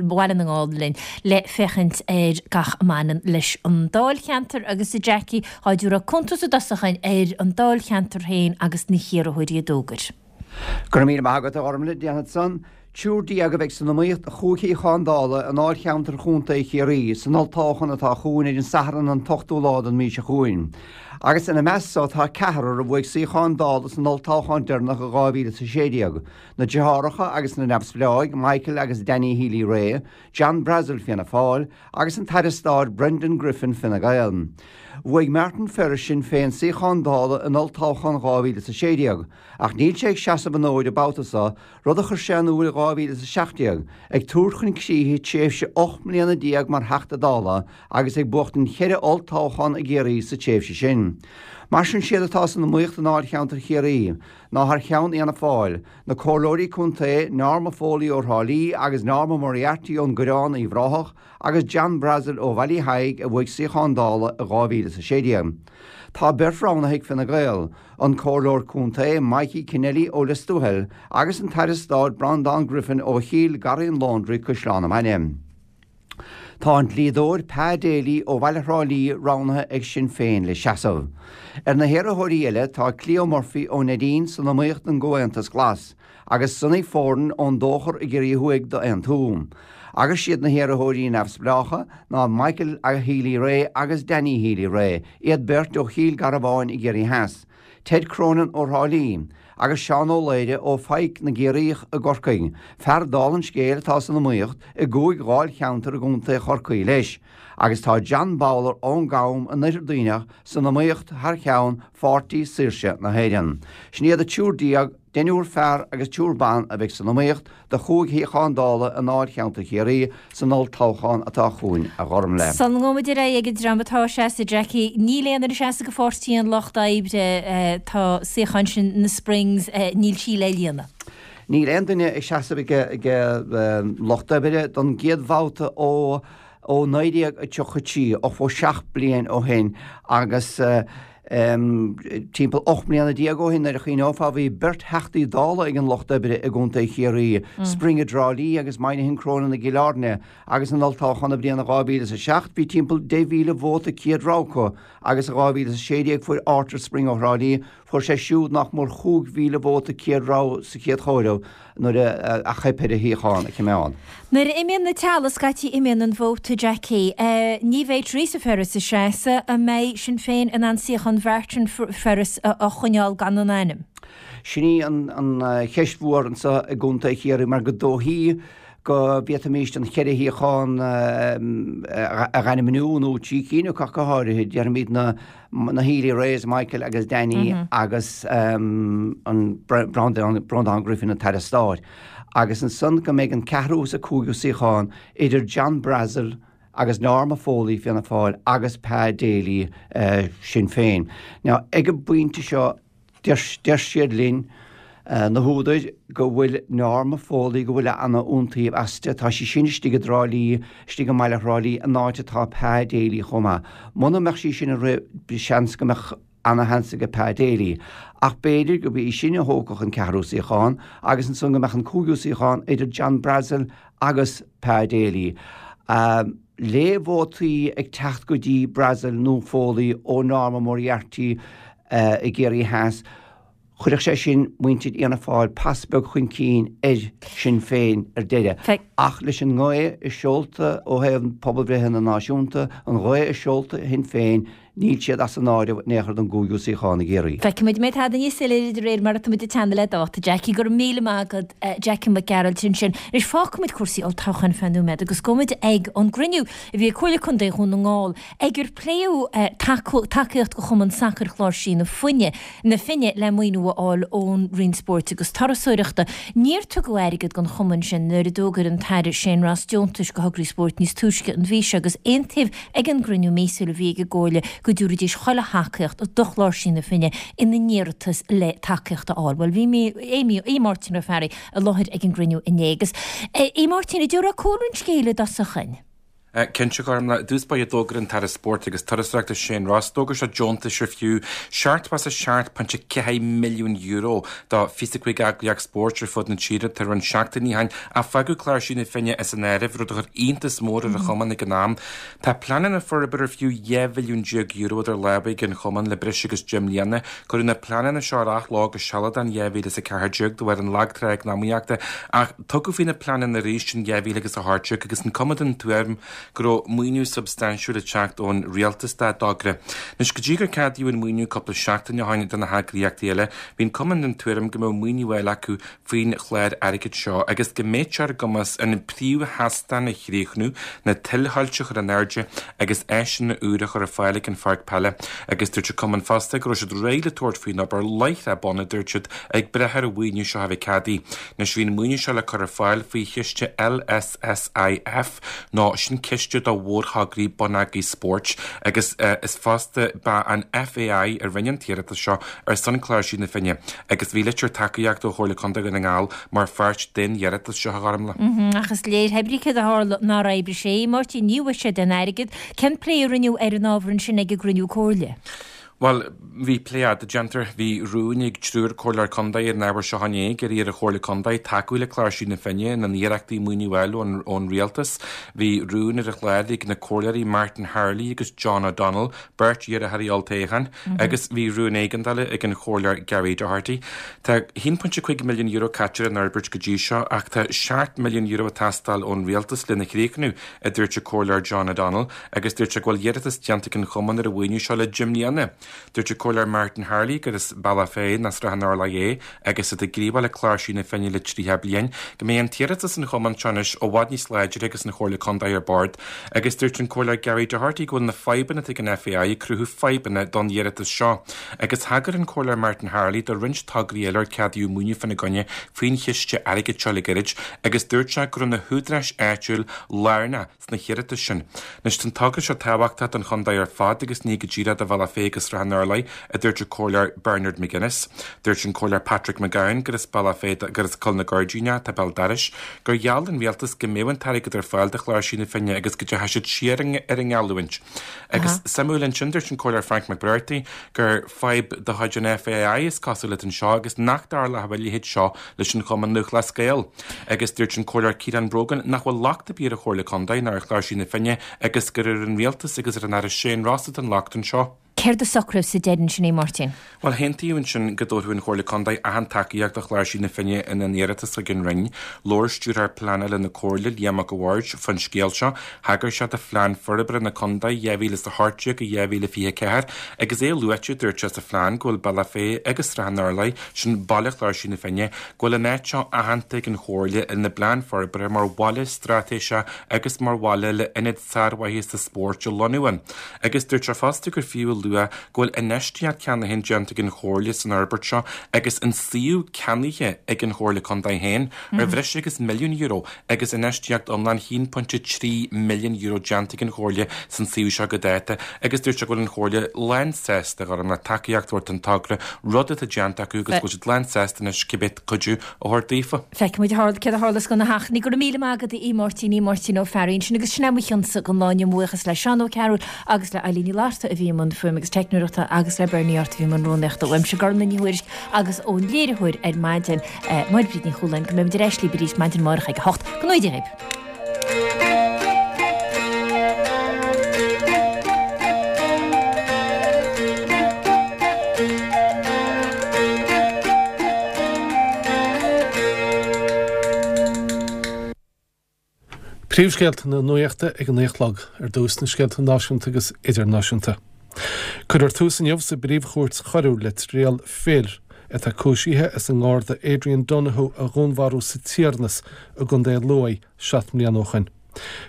Speaker 1: Bhaile na nGall linn le féachaint ar gach a mbaineann leis an Dáilcheantar agus a Jackie, dhá dtabharfá cuntas i dtosach dúinn ar an Dáilcheantar féin agus na hiarrthóirí a d'fhógair.
Speaker 13: Go raibh míle maith agat a Ghormfhlaith, déanfad san. Triúr déag a bheidh san iomaíocht do chúig shuíochán Dála i ndáilcheantar Chontae Chiarraí san olltoghchán atá chugainn ar an Satharn an t-ochtú lá den mhí seo chugainn. Agus ina measc so tá ceathrar a bhuaigh suíocháin Dála san olltoghchán deireanach i dhá mhíle is a sé déag, na deartháireacha agus na neamhspleáigh, Michael agus Danny Healy-Rae, John Brassil, Fianna Fáil, agus an tAire Stáit Brendan Griffin, Fine Gael. Bhuaigh Martin Ferris, Sinn Féin, suíochán Dála in olltoghchán dhá mhíle is a sé déag, ach níl sé ag seasamh an fhóid an babhta seo, rud a chuir sé in iúl i dhá mhíle is a seacht déag, ag tabhairt chun críche tréimhse ocht mbliana déag mar Theachta Dála agus ag buachtaint cheithre olltoghchán i gCiarraí sa tréimhse sin. Mar sin siad atá san iomaíocht i ndáilcheantar Chiarraí ná thar cheann Fhianna Fáil, na Comhairleoirí Contae Norma Foley ó Thrá Lí agus Norma Moriarty ón gCoireán Uíbh Ráthach agus John Brassil ó Bhaile Thaidhg a bhuaigh suíochán Dála i dhá mhíle is a sé déag. Tá beirt roghnaithe ag Fine Gael, an Comhairleoir Contae Mikey Kennelly ó Lios Tuathail agus an tAire Stáit Breandán Griffin ó Chill Garraí an Laundry, Caisleán an Bhaile. Tá an dlíodóir Pa Daly ó bhaile Thrá Lí roghnaithe ag Sinn Féin le seasamh. Ar na hiarrthóirí eile tá Cleo Murphy ó Neidín san iomaíocht don gComhaontas Glas agus Sonny Foran ón Dóchar i gCiarraí Thuaidh d'Aontú. Agus siad na hiarrthóirí neamhspleácha ná Michael Healy-Rae agus Danny Healy-Rae, iad beirt ó Chill Garbháin i gCiarraí Theas. Ted Cronin ó Thrá Lí agus Seán Ó Laoire ó Phaidhc na gCiarraíoch i gCorcaigh, fear dála an scéil atá san iomaíocht i gcúig dháilcheantar i gContae Chorcaí leis, agus tá John Bowler ón gCam in Oirthear Duibhneach san iomaíocht thar cheann Pháirtí Saoirse na hÉireann. Sin iad an triúr déag, deichniúr fear agus triúr ban a bheidh san iomaíocht do chúig shuíochán Dála i ndáilcheantar Chiarraí san olltoghchán atá chugainn, a Ghormlaith.
Speaker 1: Sula ngabhaimid ar aghaidh ag an dream atá ag seasamh, Jackie, níl aon duine ag seasamh do Pháirtí an Lucht Oibre, tá suíochán sin na Springs, níl sí le líonadh.
Speaker 13: Níl aon duine ag seasamh ag an Lucht Oibre don gcéad bhabhta ó ó naoi déag tríocha trí, ochtó seacht bliain ó shin agus timpeall ocht mbliana déag ó shin nuair a chuimhneofá bhí beirt Theachtaí Dála ag an Lucht Oibre i gContae Chiarraí, Spring i dTrá Lí agus Moynihan Cronin i gCill Airne agus in olltoghchán na bliana dhá mhíle is a seacht bhí timpeall deich mhíle vóta céad rogha acu agus i dhá mhíle is a sé déag fuair Arthur Spring ó Thrá Lí Fuair sé siúd nach mór chúig mhíle vóta céad rogha sa chéad chomhaireamh nuair a theip air a shuíochán a choimeád.
Speaker 1: Nuair a imíonn na teaghlaigh, scaití imíonn an vóta, Jackie. Ní bheidh Toireasa Ferris ag seasamh. An mbeidh Sinn Féin in ann suíochán Mhartin Ferris a choinneáil gan an ainm?
Speaker 13: Sin í an cheist mhór anseo i gContae Chiarraí mar gur dóichí go bhféadfaimis an cheithre shuíochán a dh'ainmniú, nó trí cinn acu ach go háirithe, déarfaimid na na Healy-Raes, Michael agus Danny agus an Breandán Griffin, an tAire Stáit. Agus ansan go mbeidh an ceathrú is an cúigiú suíochán idir John Brassil agus Norma Foley, Fianna Fáil, agus Pa Daly, Sinn Féin. Now, ag an bpointe seo, Deir siad linn, na húdair, go bhfuil Norma Foley, go bhfuil ana iontaoibh aisti. Tá sí sin istigh i dTrá Lí, istigh i mbaile Thrá Lí, an áit atá Pa Daly chomh maith. Muna mbeadh sí sin ag rith, seans go mbeadh ana sheans aige Pa Daly. Ach b'fhéidir gurb í sin a thógfadh an ceathrú suíochán agus ansan go mbeadh an cúigiú suíochán idir John Brassil agus Pa Daly. Le vótaí ag teacht go dtí Brassil nó Foley ó Norma Moriarty, i gCiarraí Theas. Chuirfeadh sé sin muintir Fhianna Fáil pas beag chun cinn ar Shinn Féin ar deireadh. Ach leis an ngaoth i seolta ó thaobh pobalbhreitheanna náisiúnta, an ghaoth i seolta Shinn Féin, níl siad as an áireamh in aon chor don gcúigiú suíochán i gCiarraí.
Speaker 1: Feicfimid an mbeidh tada níos soiléire de réir mar atá muid ag teannadh le dáta. Jackie, Go raibh míle maith agat, Jackie Mac Gearailt ansin. Anois fágfaimid cúrsaí olltoghcháin feadh nóiméad agus gabhfaimid ag an gcruinniú a bhí ag Comhairle Contae Dhún na nGall ag ar pléadh tacaíocht do Chumann Sacair Chláirsí na Finne na Finne le maoiniú a fháil ón Roinn Spóirt agus Turasóireachta. Níor tugadh airgead don chumann sin nuair a d'fhógair an tAire Shane Ross deontais do thograí spóirt níos túisce an mhí seo agus aontaíodh ag an gcruinniú míosúil a bhí ag an gComhairle go dtabharfaidís chuile thacaíocht do Chláirsí na Finne ina n-iarratas le tacaíocht a fháil. Bhuel, bhí Aodh Máirtín Ó Fearraigh i láthair ag an gcruinniú inné agus, a Mháirtín, an dtabharfá cúlra an scéil i dtosach dhúinn?
Speaker 14: Cinnte, a Ghormfhlaith, i dtús báire d'fhógair an tAire Spóirt agus Turasóireachta Shane Ross, d'fhógair sé deontais ar fiú seachtó is a seacht pointe ceathair milliún euro do fiche a cúig eagraíocht spóirt ar fud na tíre tá roinnt seachtainí ó shin ach fágadh Cláirsigh na Finne as an áireamh, rud a chuir iontas mór ar an chumann ag an am. Tá pleananna forbartha ar fiú dhá mhilliún déag euro idir lámha ag an chumann le breis agus deich mbliana. Cuireadh na pleananna seo ar athló go sealadach in dhá mhíle is a ceathair déag de bharr an lag trá eacnamaíochta ach tugadh faoi na pleananna arís in dhá mhíle agus a hocht déag agus an cumann den tuairim go raibh maoiniú substaintiúil ag teacht ón rialtas dá dtogra. Anois, go dtí gur ceadaíodh an maoiniú cúpla seachtain ó shin do na heagraíochtaí eile, bhí an cumann den tuairim go mbeadh maoiniú eile acu faoin chlár airgid seo agus go mbeadh sé ar a gcumas an príomhsheastán a chríochnú, na tuilthoilte a chur in airde agus áiseanna úra a chur ar fáil ag an pháirc peile. Agus dúirt an cumann fosta go raibh siad réidh le tabhairt faoin obair láithreach bonn, a dúirt siad, ag brath ar an mhaoiniú seo a bheith ceadaithe. Anois, bhí an maoiniú seo le cur ar fáil faoi chiste LSSIF, nó sin ciste do mhórthograí bonneagair spóirt agus is fosta ba an FAI a rinne an t-iarratas seo ar son Cláirsigh na Finne agus bhí litir tacaíochta ó Chomhairle Contae Dhún na nGall mar pháirt den iarratas seo, a Ghormfhlaith.
Speaker 1: Ach is léir, hé brí céard a tharla nár oibrigh sé, Máirtín, ní bhfuair siad aon airgead. Cén plé a rinneadh ar an ábhar ansin ag an gcruinniú comhairle?
Speaker 14: Bhuel, bhí plé fhada déanta. Bhí rún ag triúr comhairleoir contae ar an ábhar seo inné ag iarraidh ar an Chomhairle Contae tacú le Cláirsigh na Finne ina n-iarrachtaí maoiniú a fháil ón rialtas. Bhí rún ar an chlár ag na comhairleoirí Martin Harley agus John O'Donnell, beirt iarrthóirí olltoghcháin, agus bhí rún éigeandála ag an Chomhairleoir Gary Doherty. Tá a haon pointe cúig milliún euro caite ar an fhorbairt go dtí seo ach tá seacht milliún euro ag teastáil ón rialtas lena chríochnú, a dúirt an Comhairleoir John O'Donnell. agus dúirt sé go bhfuil iarratas déanta ag an chumann ar an mhaoiniú seo le deich mbliana. Dúirt an Comhairleoir Martin Harley gur as Bealach Féich nó Srath an Urláir é agus iad ag gníomhú le Cláirsigh na Finne le tríocha bliain, go mbeidh an t-iarratas an chumainn seo anois i bhfad níos láidre agus an Chomhairle Contae ar bord agus dúirt an Comhairleoir Gary Doherty go bhfuil na fadhbanna atá ag an FAI ag cruthú fadhbanna don iarratas seo agus thagair an Comhairleoir Martin Harley do roinnt tograí eile ar ceadaíodh maoiniú faoina gcoinne faoin chiste airgid seo le gairid agus dúirt sé go raibh na húdaráis áitiúil lárnach sna hiarratais sin. Anois, tá an togra seo tábhachtach don chontae ar fad agus ní go díreach do Bhealach Féich agus Srath an Urláir, a dúirt an Comhairleoir Bernard McGuinness. Dúirt an Comhairleoir Patrick McGowan, gur as Bealach Féich, gur as Coill na Gairdíní atá béal dorais, gur gheall an rialtas go mbeadh an t-airgead ar fáil do Chláirsigh na Finne agus go dteachaigh siad siar ar an ngeallúint. Agus suimiúil ansin, dúirt an Comhairleoir Frank McBrearty gur fadhb de chuid an FAI is cosúil atá anseo agus nach dtarlódh a leithéid seo leis an Chumann Lúthchleas Gael. Agus dúirt an Comhairleoir Ciarán Brogan nach bhfuil locht ar bith ar an Chomhairle Contae ná ar Chláirsigh na Finne agus gur ar an Rialtas agus ar an Aire Shane Ross atá an locht anseo.
Speaker 1: Céard a socraíodh sa deireadh ansin, a Mháirtín?
Speaker 14: Bhuel, aontaíodh ansin go dtabharfadh an Chomhairle Contae achan tacaíocht do Chláirsigh na Finne ina n-iarratas chuig an Roinn. Labhair Stiúrthóir Pleanála na Comhairle, Liam Mac a' Bhaird, faoin scéal seo. Thagair sé do Phlean Forbartha na Contae dhá mhíle is a hocht déag go dhá mhíle fiche a ceathair agus é luaite, dúirt sé, sa phlean go bhfuil Bealach Féich agus Srath an Urláir, sin baile Chláirsigh na Finne, go bhfuil an áit seo aitheanta ag an Chomhairle ina bplean forbartha mar bhaile straitéiseach agus mar bhaile le ionad sármhaitheasa spóirt a lonnú ann. Agus dúirt sé fosta gur fiú a lua go bhfuil infheistíocht cheana féin déanta ag an Chomhairle san fhorbairt seo agus an suíomh ceannaithe ag an Chomhairle Contae féin ar bhreis agus milliún euro agus infheistíocht iomlán haon pointe trí milliún euro déanta ag an Chomhairle san suíomh seo go dáta agus dúirt sé go bhfuil an Chomhairle lánsásta Ghormfhlaith tacaíocht a thabhairt don togra, rud atá déanta acu agus go bhfuil siad lánsásta anois cibé cuidiú a thabhairt daofa.
Speaker 1: Feicfidh muid céard a tharlós gona hachainí. Go raibh míle maith agat a Mháirtín, a Mháirtín Ó Fearraigh ansin agus sin é mo chionsa don lá inniu. Buíochas le Seán Ó Cearúil agus le Eileen Ní Fhlatharta a bhí i mbun fuaime agus teicneoireachta agus le Bernie Art a bhí i mbun rúnaíochta. Uaimse Gormfhlaith Ní Thuairisg agus ón léiritheoir ar maidin, Máire Bríd Ní Chualáin, go mbeimid ar ais libh arís maidin amárach ag a hocht. Go ngnóthaí Dia dhaoibh.
Speaker 2: Príomhscéalta na nuachta ag a naoi a chlog, ar dtús na scéalta náisiúnta agus idirnáisiúnta. Cuirfear tús inniu sa bPríomh-Chúirt Choiriúil le triail fir atá cúisithe as an nGarda Adrian Donohoe a dhúnmharú sa Tiarnas i gContae Lú seacht mbliana ó shin.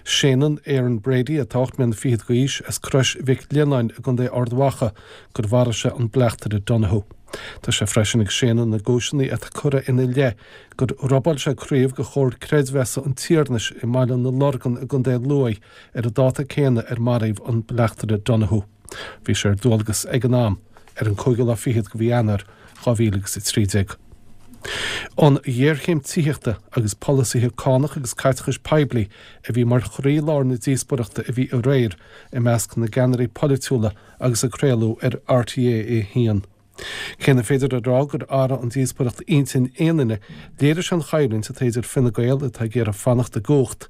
Speaker 2: Séanann Aaron Brady, atá ocht mbliana fichead d'aois, as Crois Mhic Lionnáin i gContae Ard Mhacha, gur mharaigh sé an bleachtaire Donohoe. Tá sé freisin ag séanadh na gcúiseanna atá curtha ina leith gur robáil sé craobh de Chomhar Creidmheasa an Tiarnais i mBaile na Lorgan i gContae Lú ar an dáta céanna ar maraíodh an bleachtaire Donohoe. Bhí sé ar dualgas ag an am ar an cúigiú lá fichead de mhí Eanáir dhá mhíle agus a trí déag. An ghéarchéim tithíochta agus polasaithe cánach agus caiteachais poiblí a bhí mar chroílár na díospóireachta a bhí aréir i measc na gceannairí polaitiúla agus a craoladh ar RTÉ a haon. Cé nach féidir a rá gur athraigh an díospóireacht intinn aon duine, léirigh sé an choimhlint atá idir Fine Gael atá ag iarraidh fanacht i gcumhacht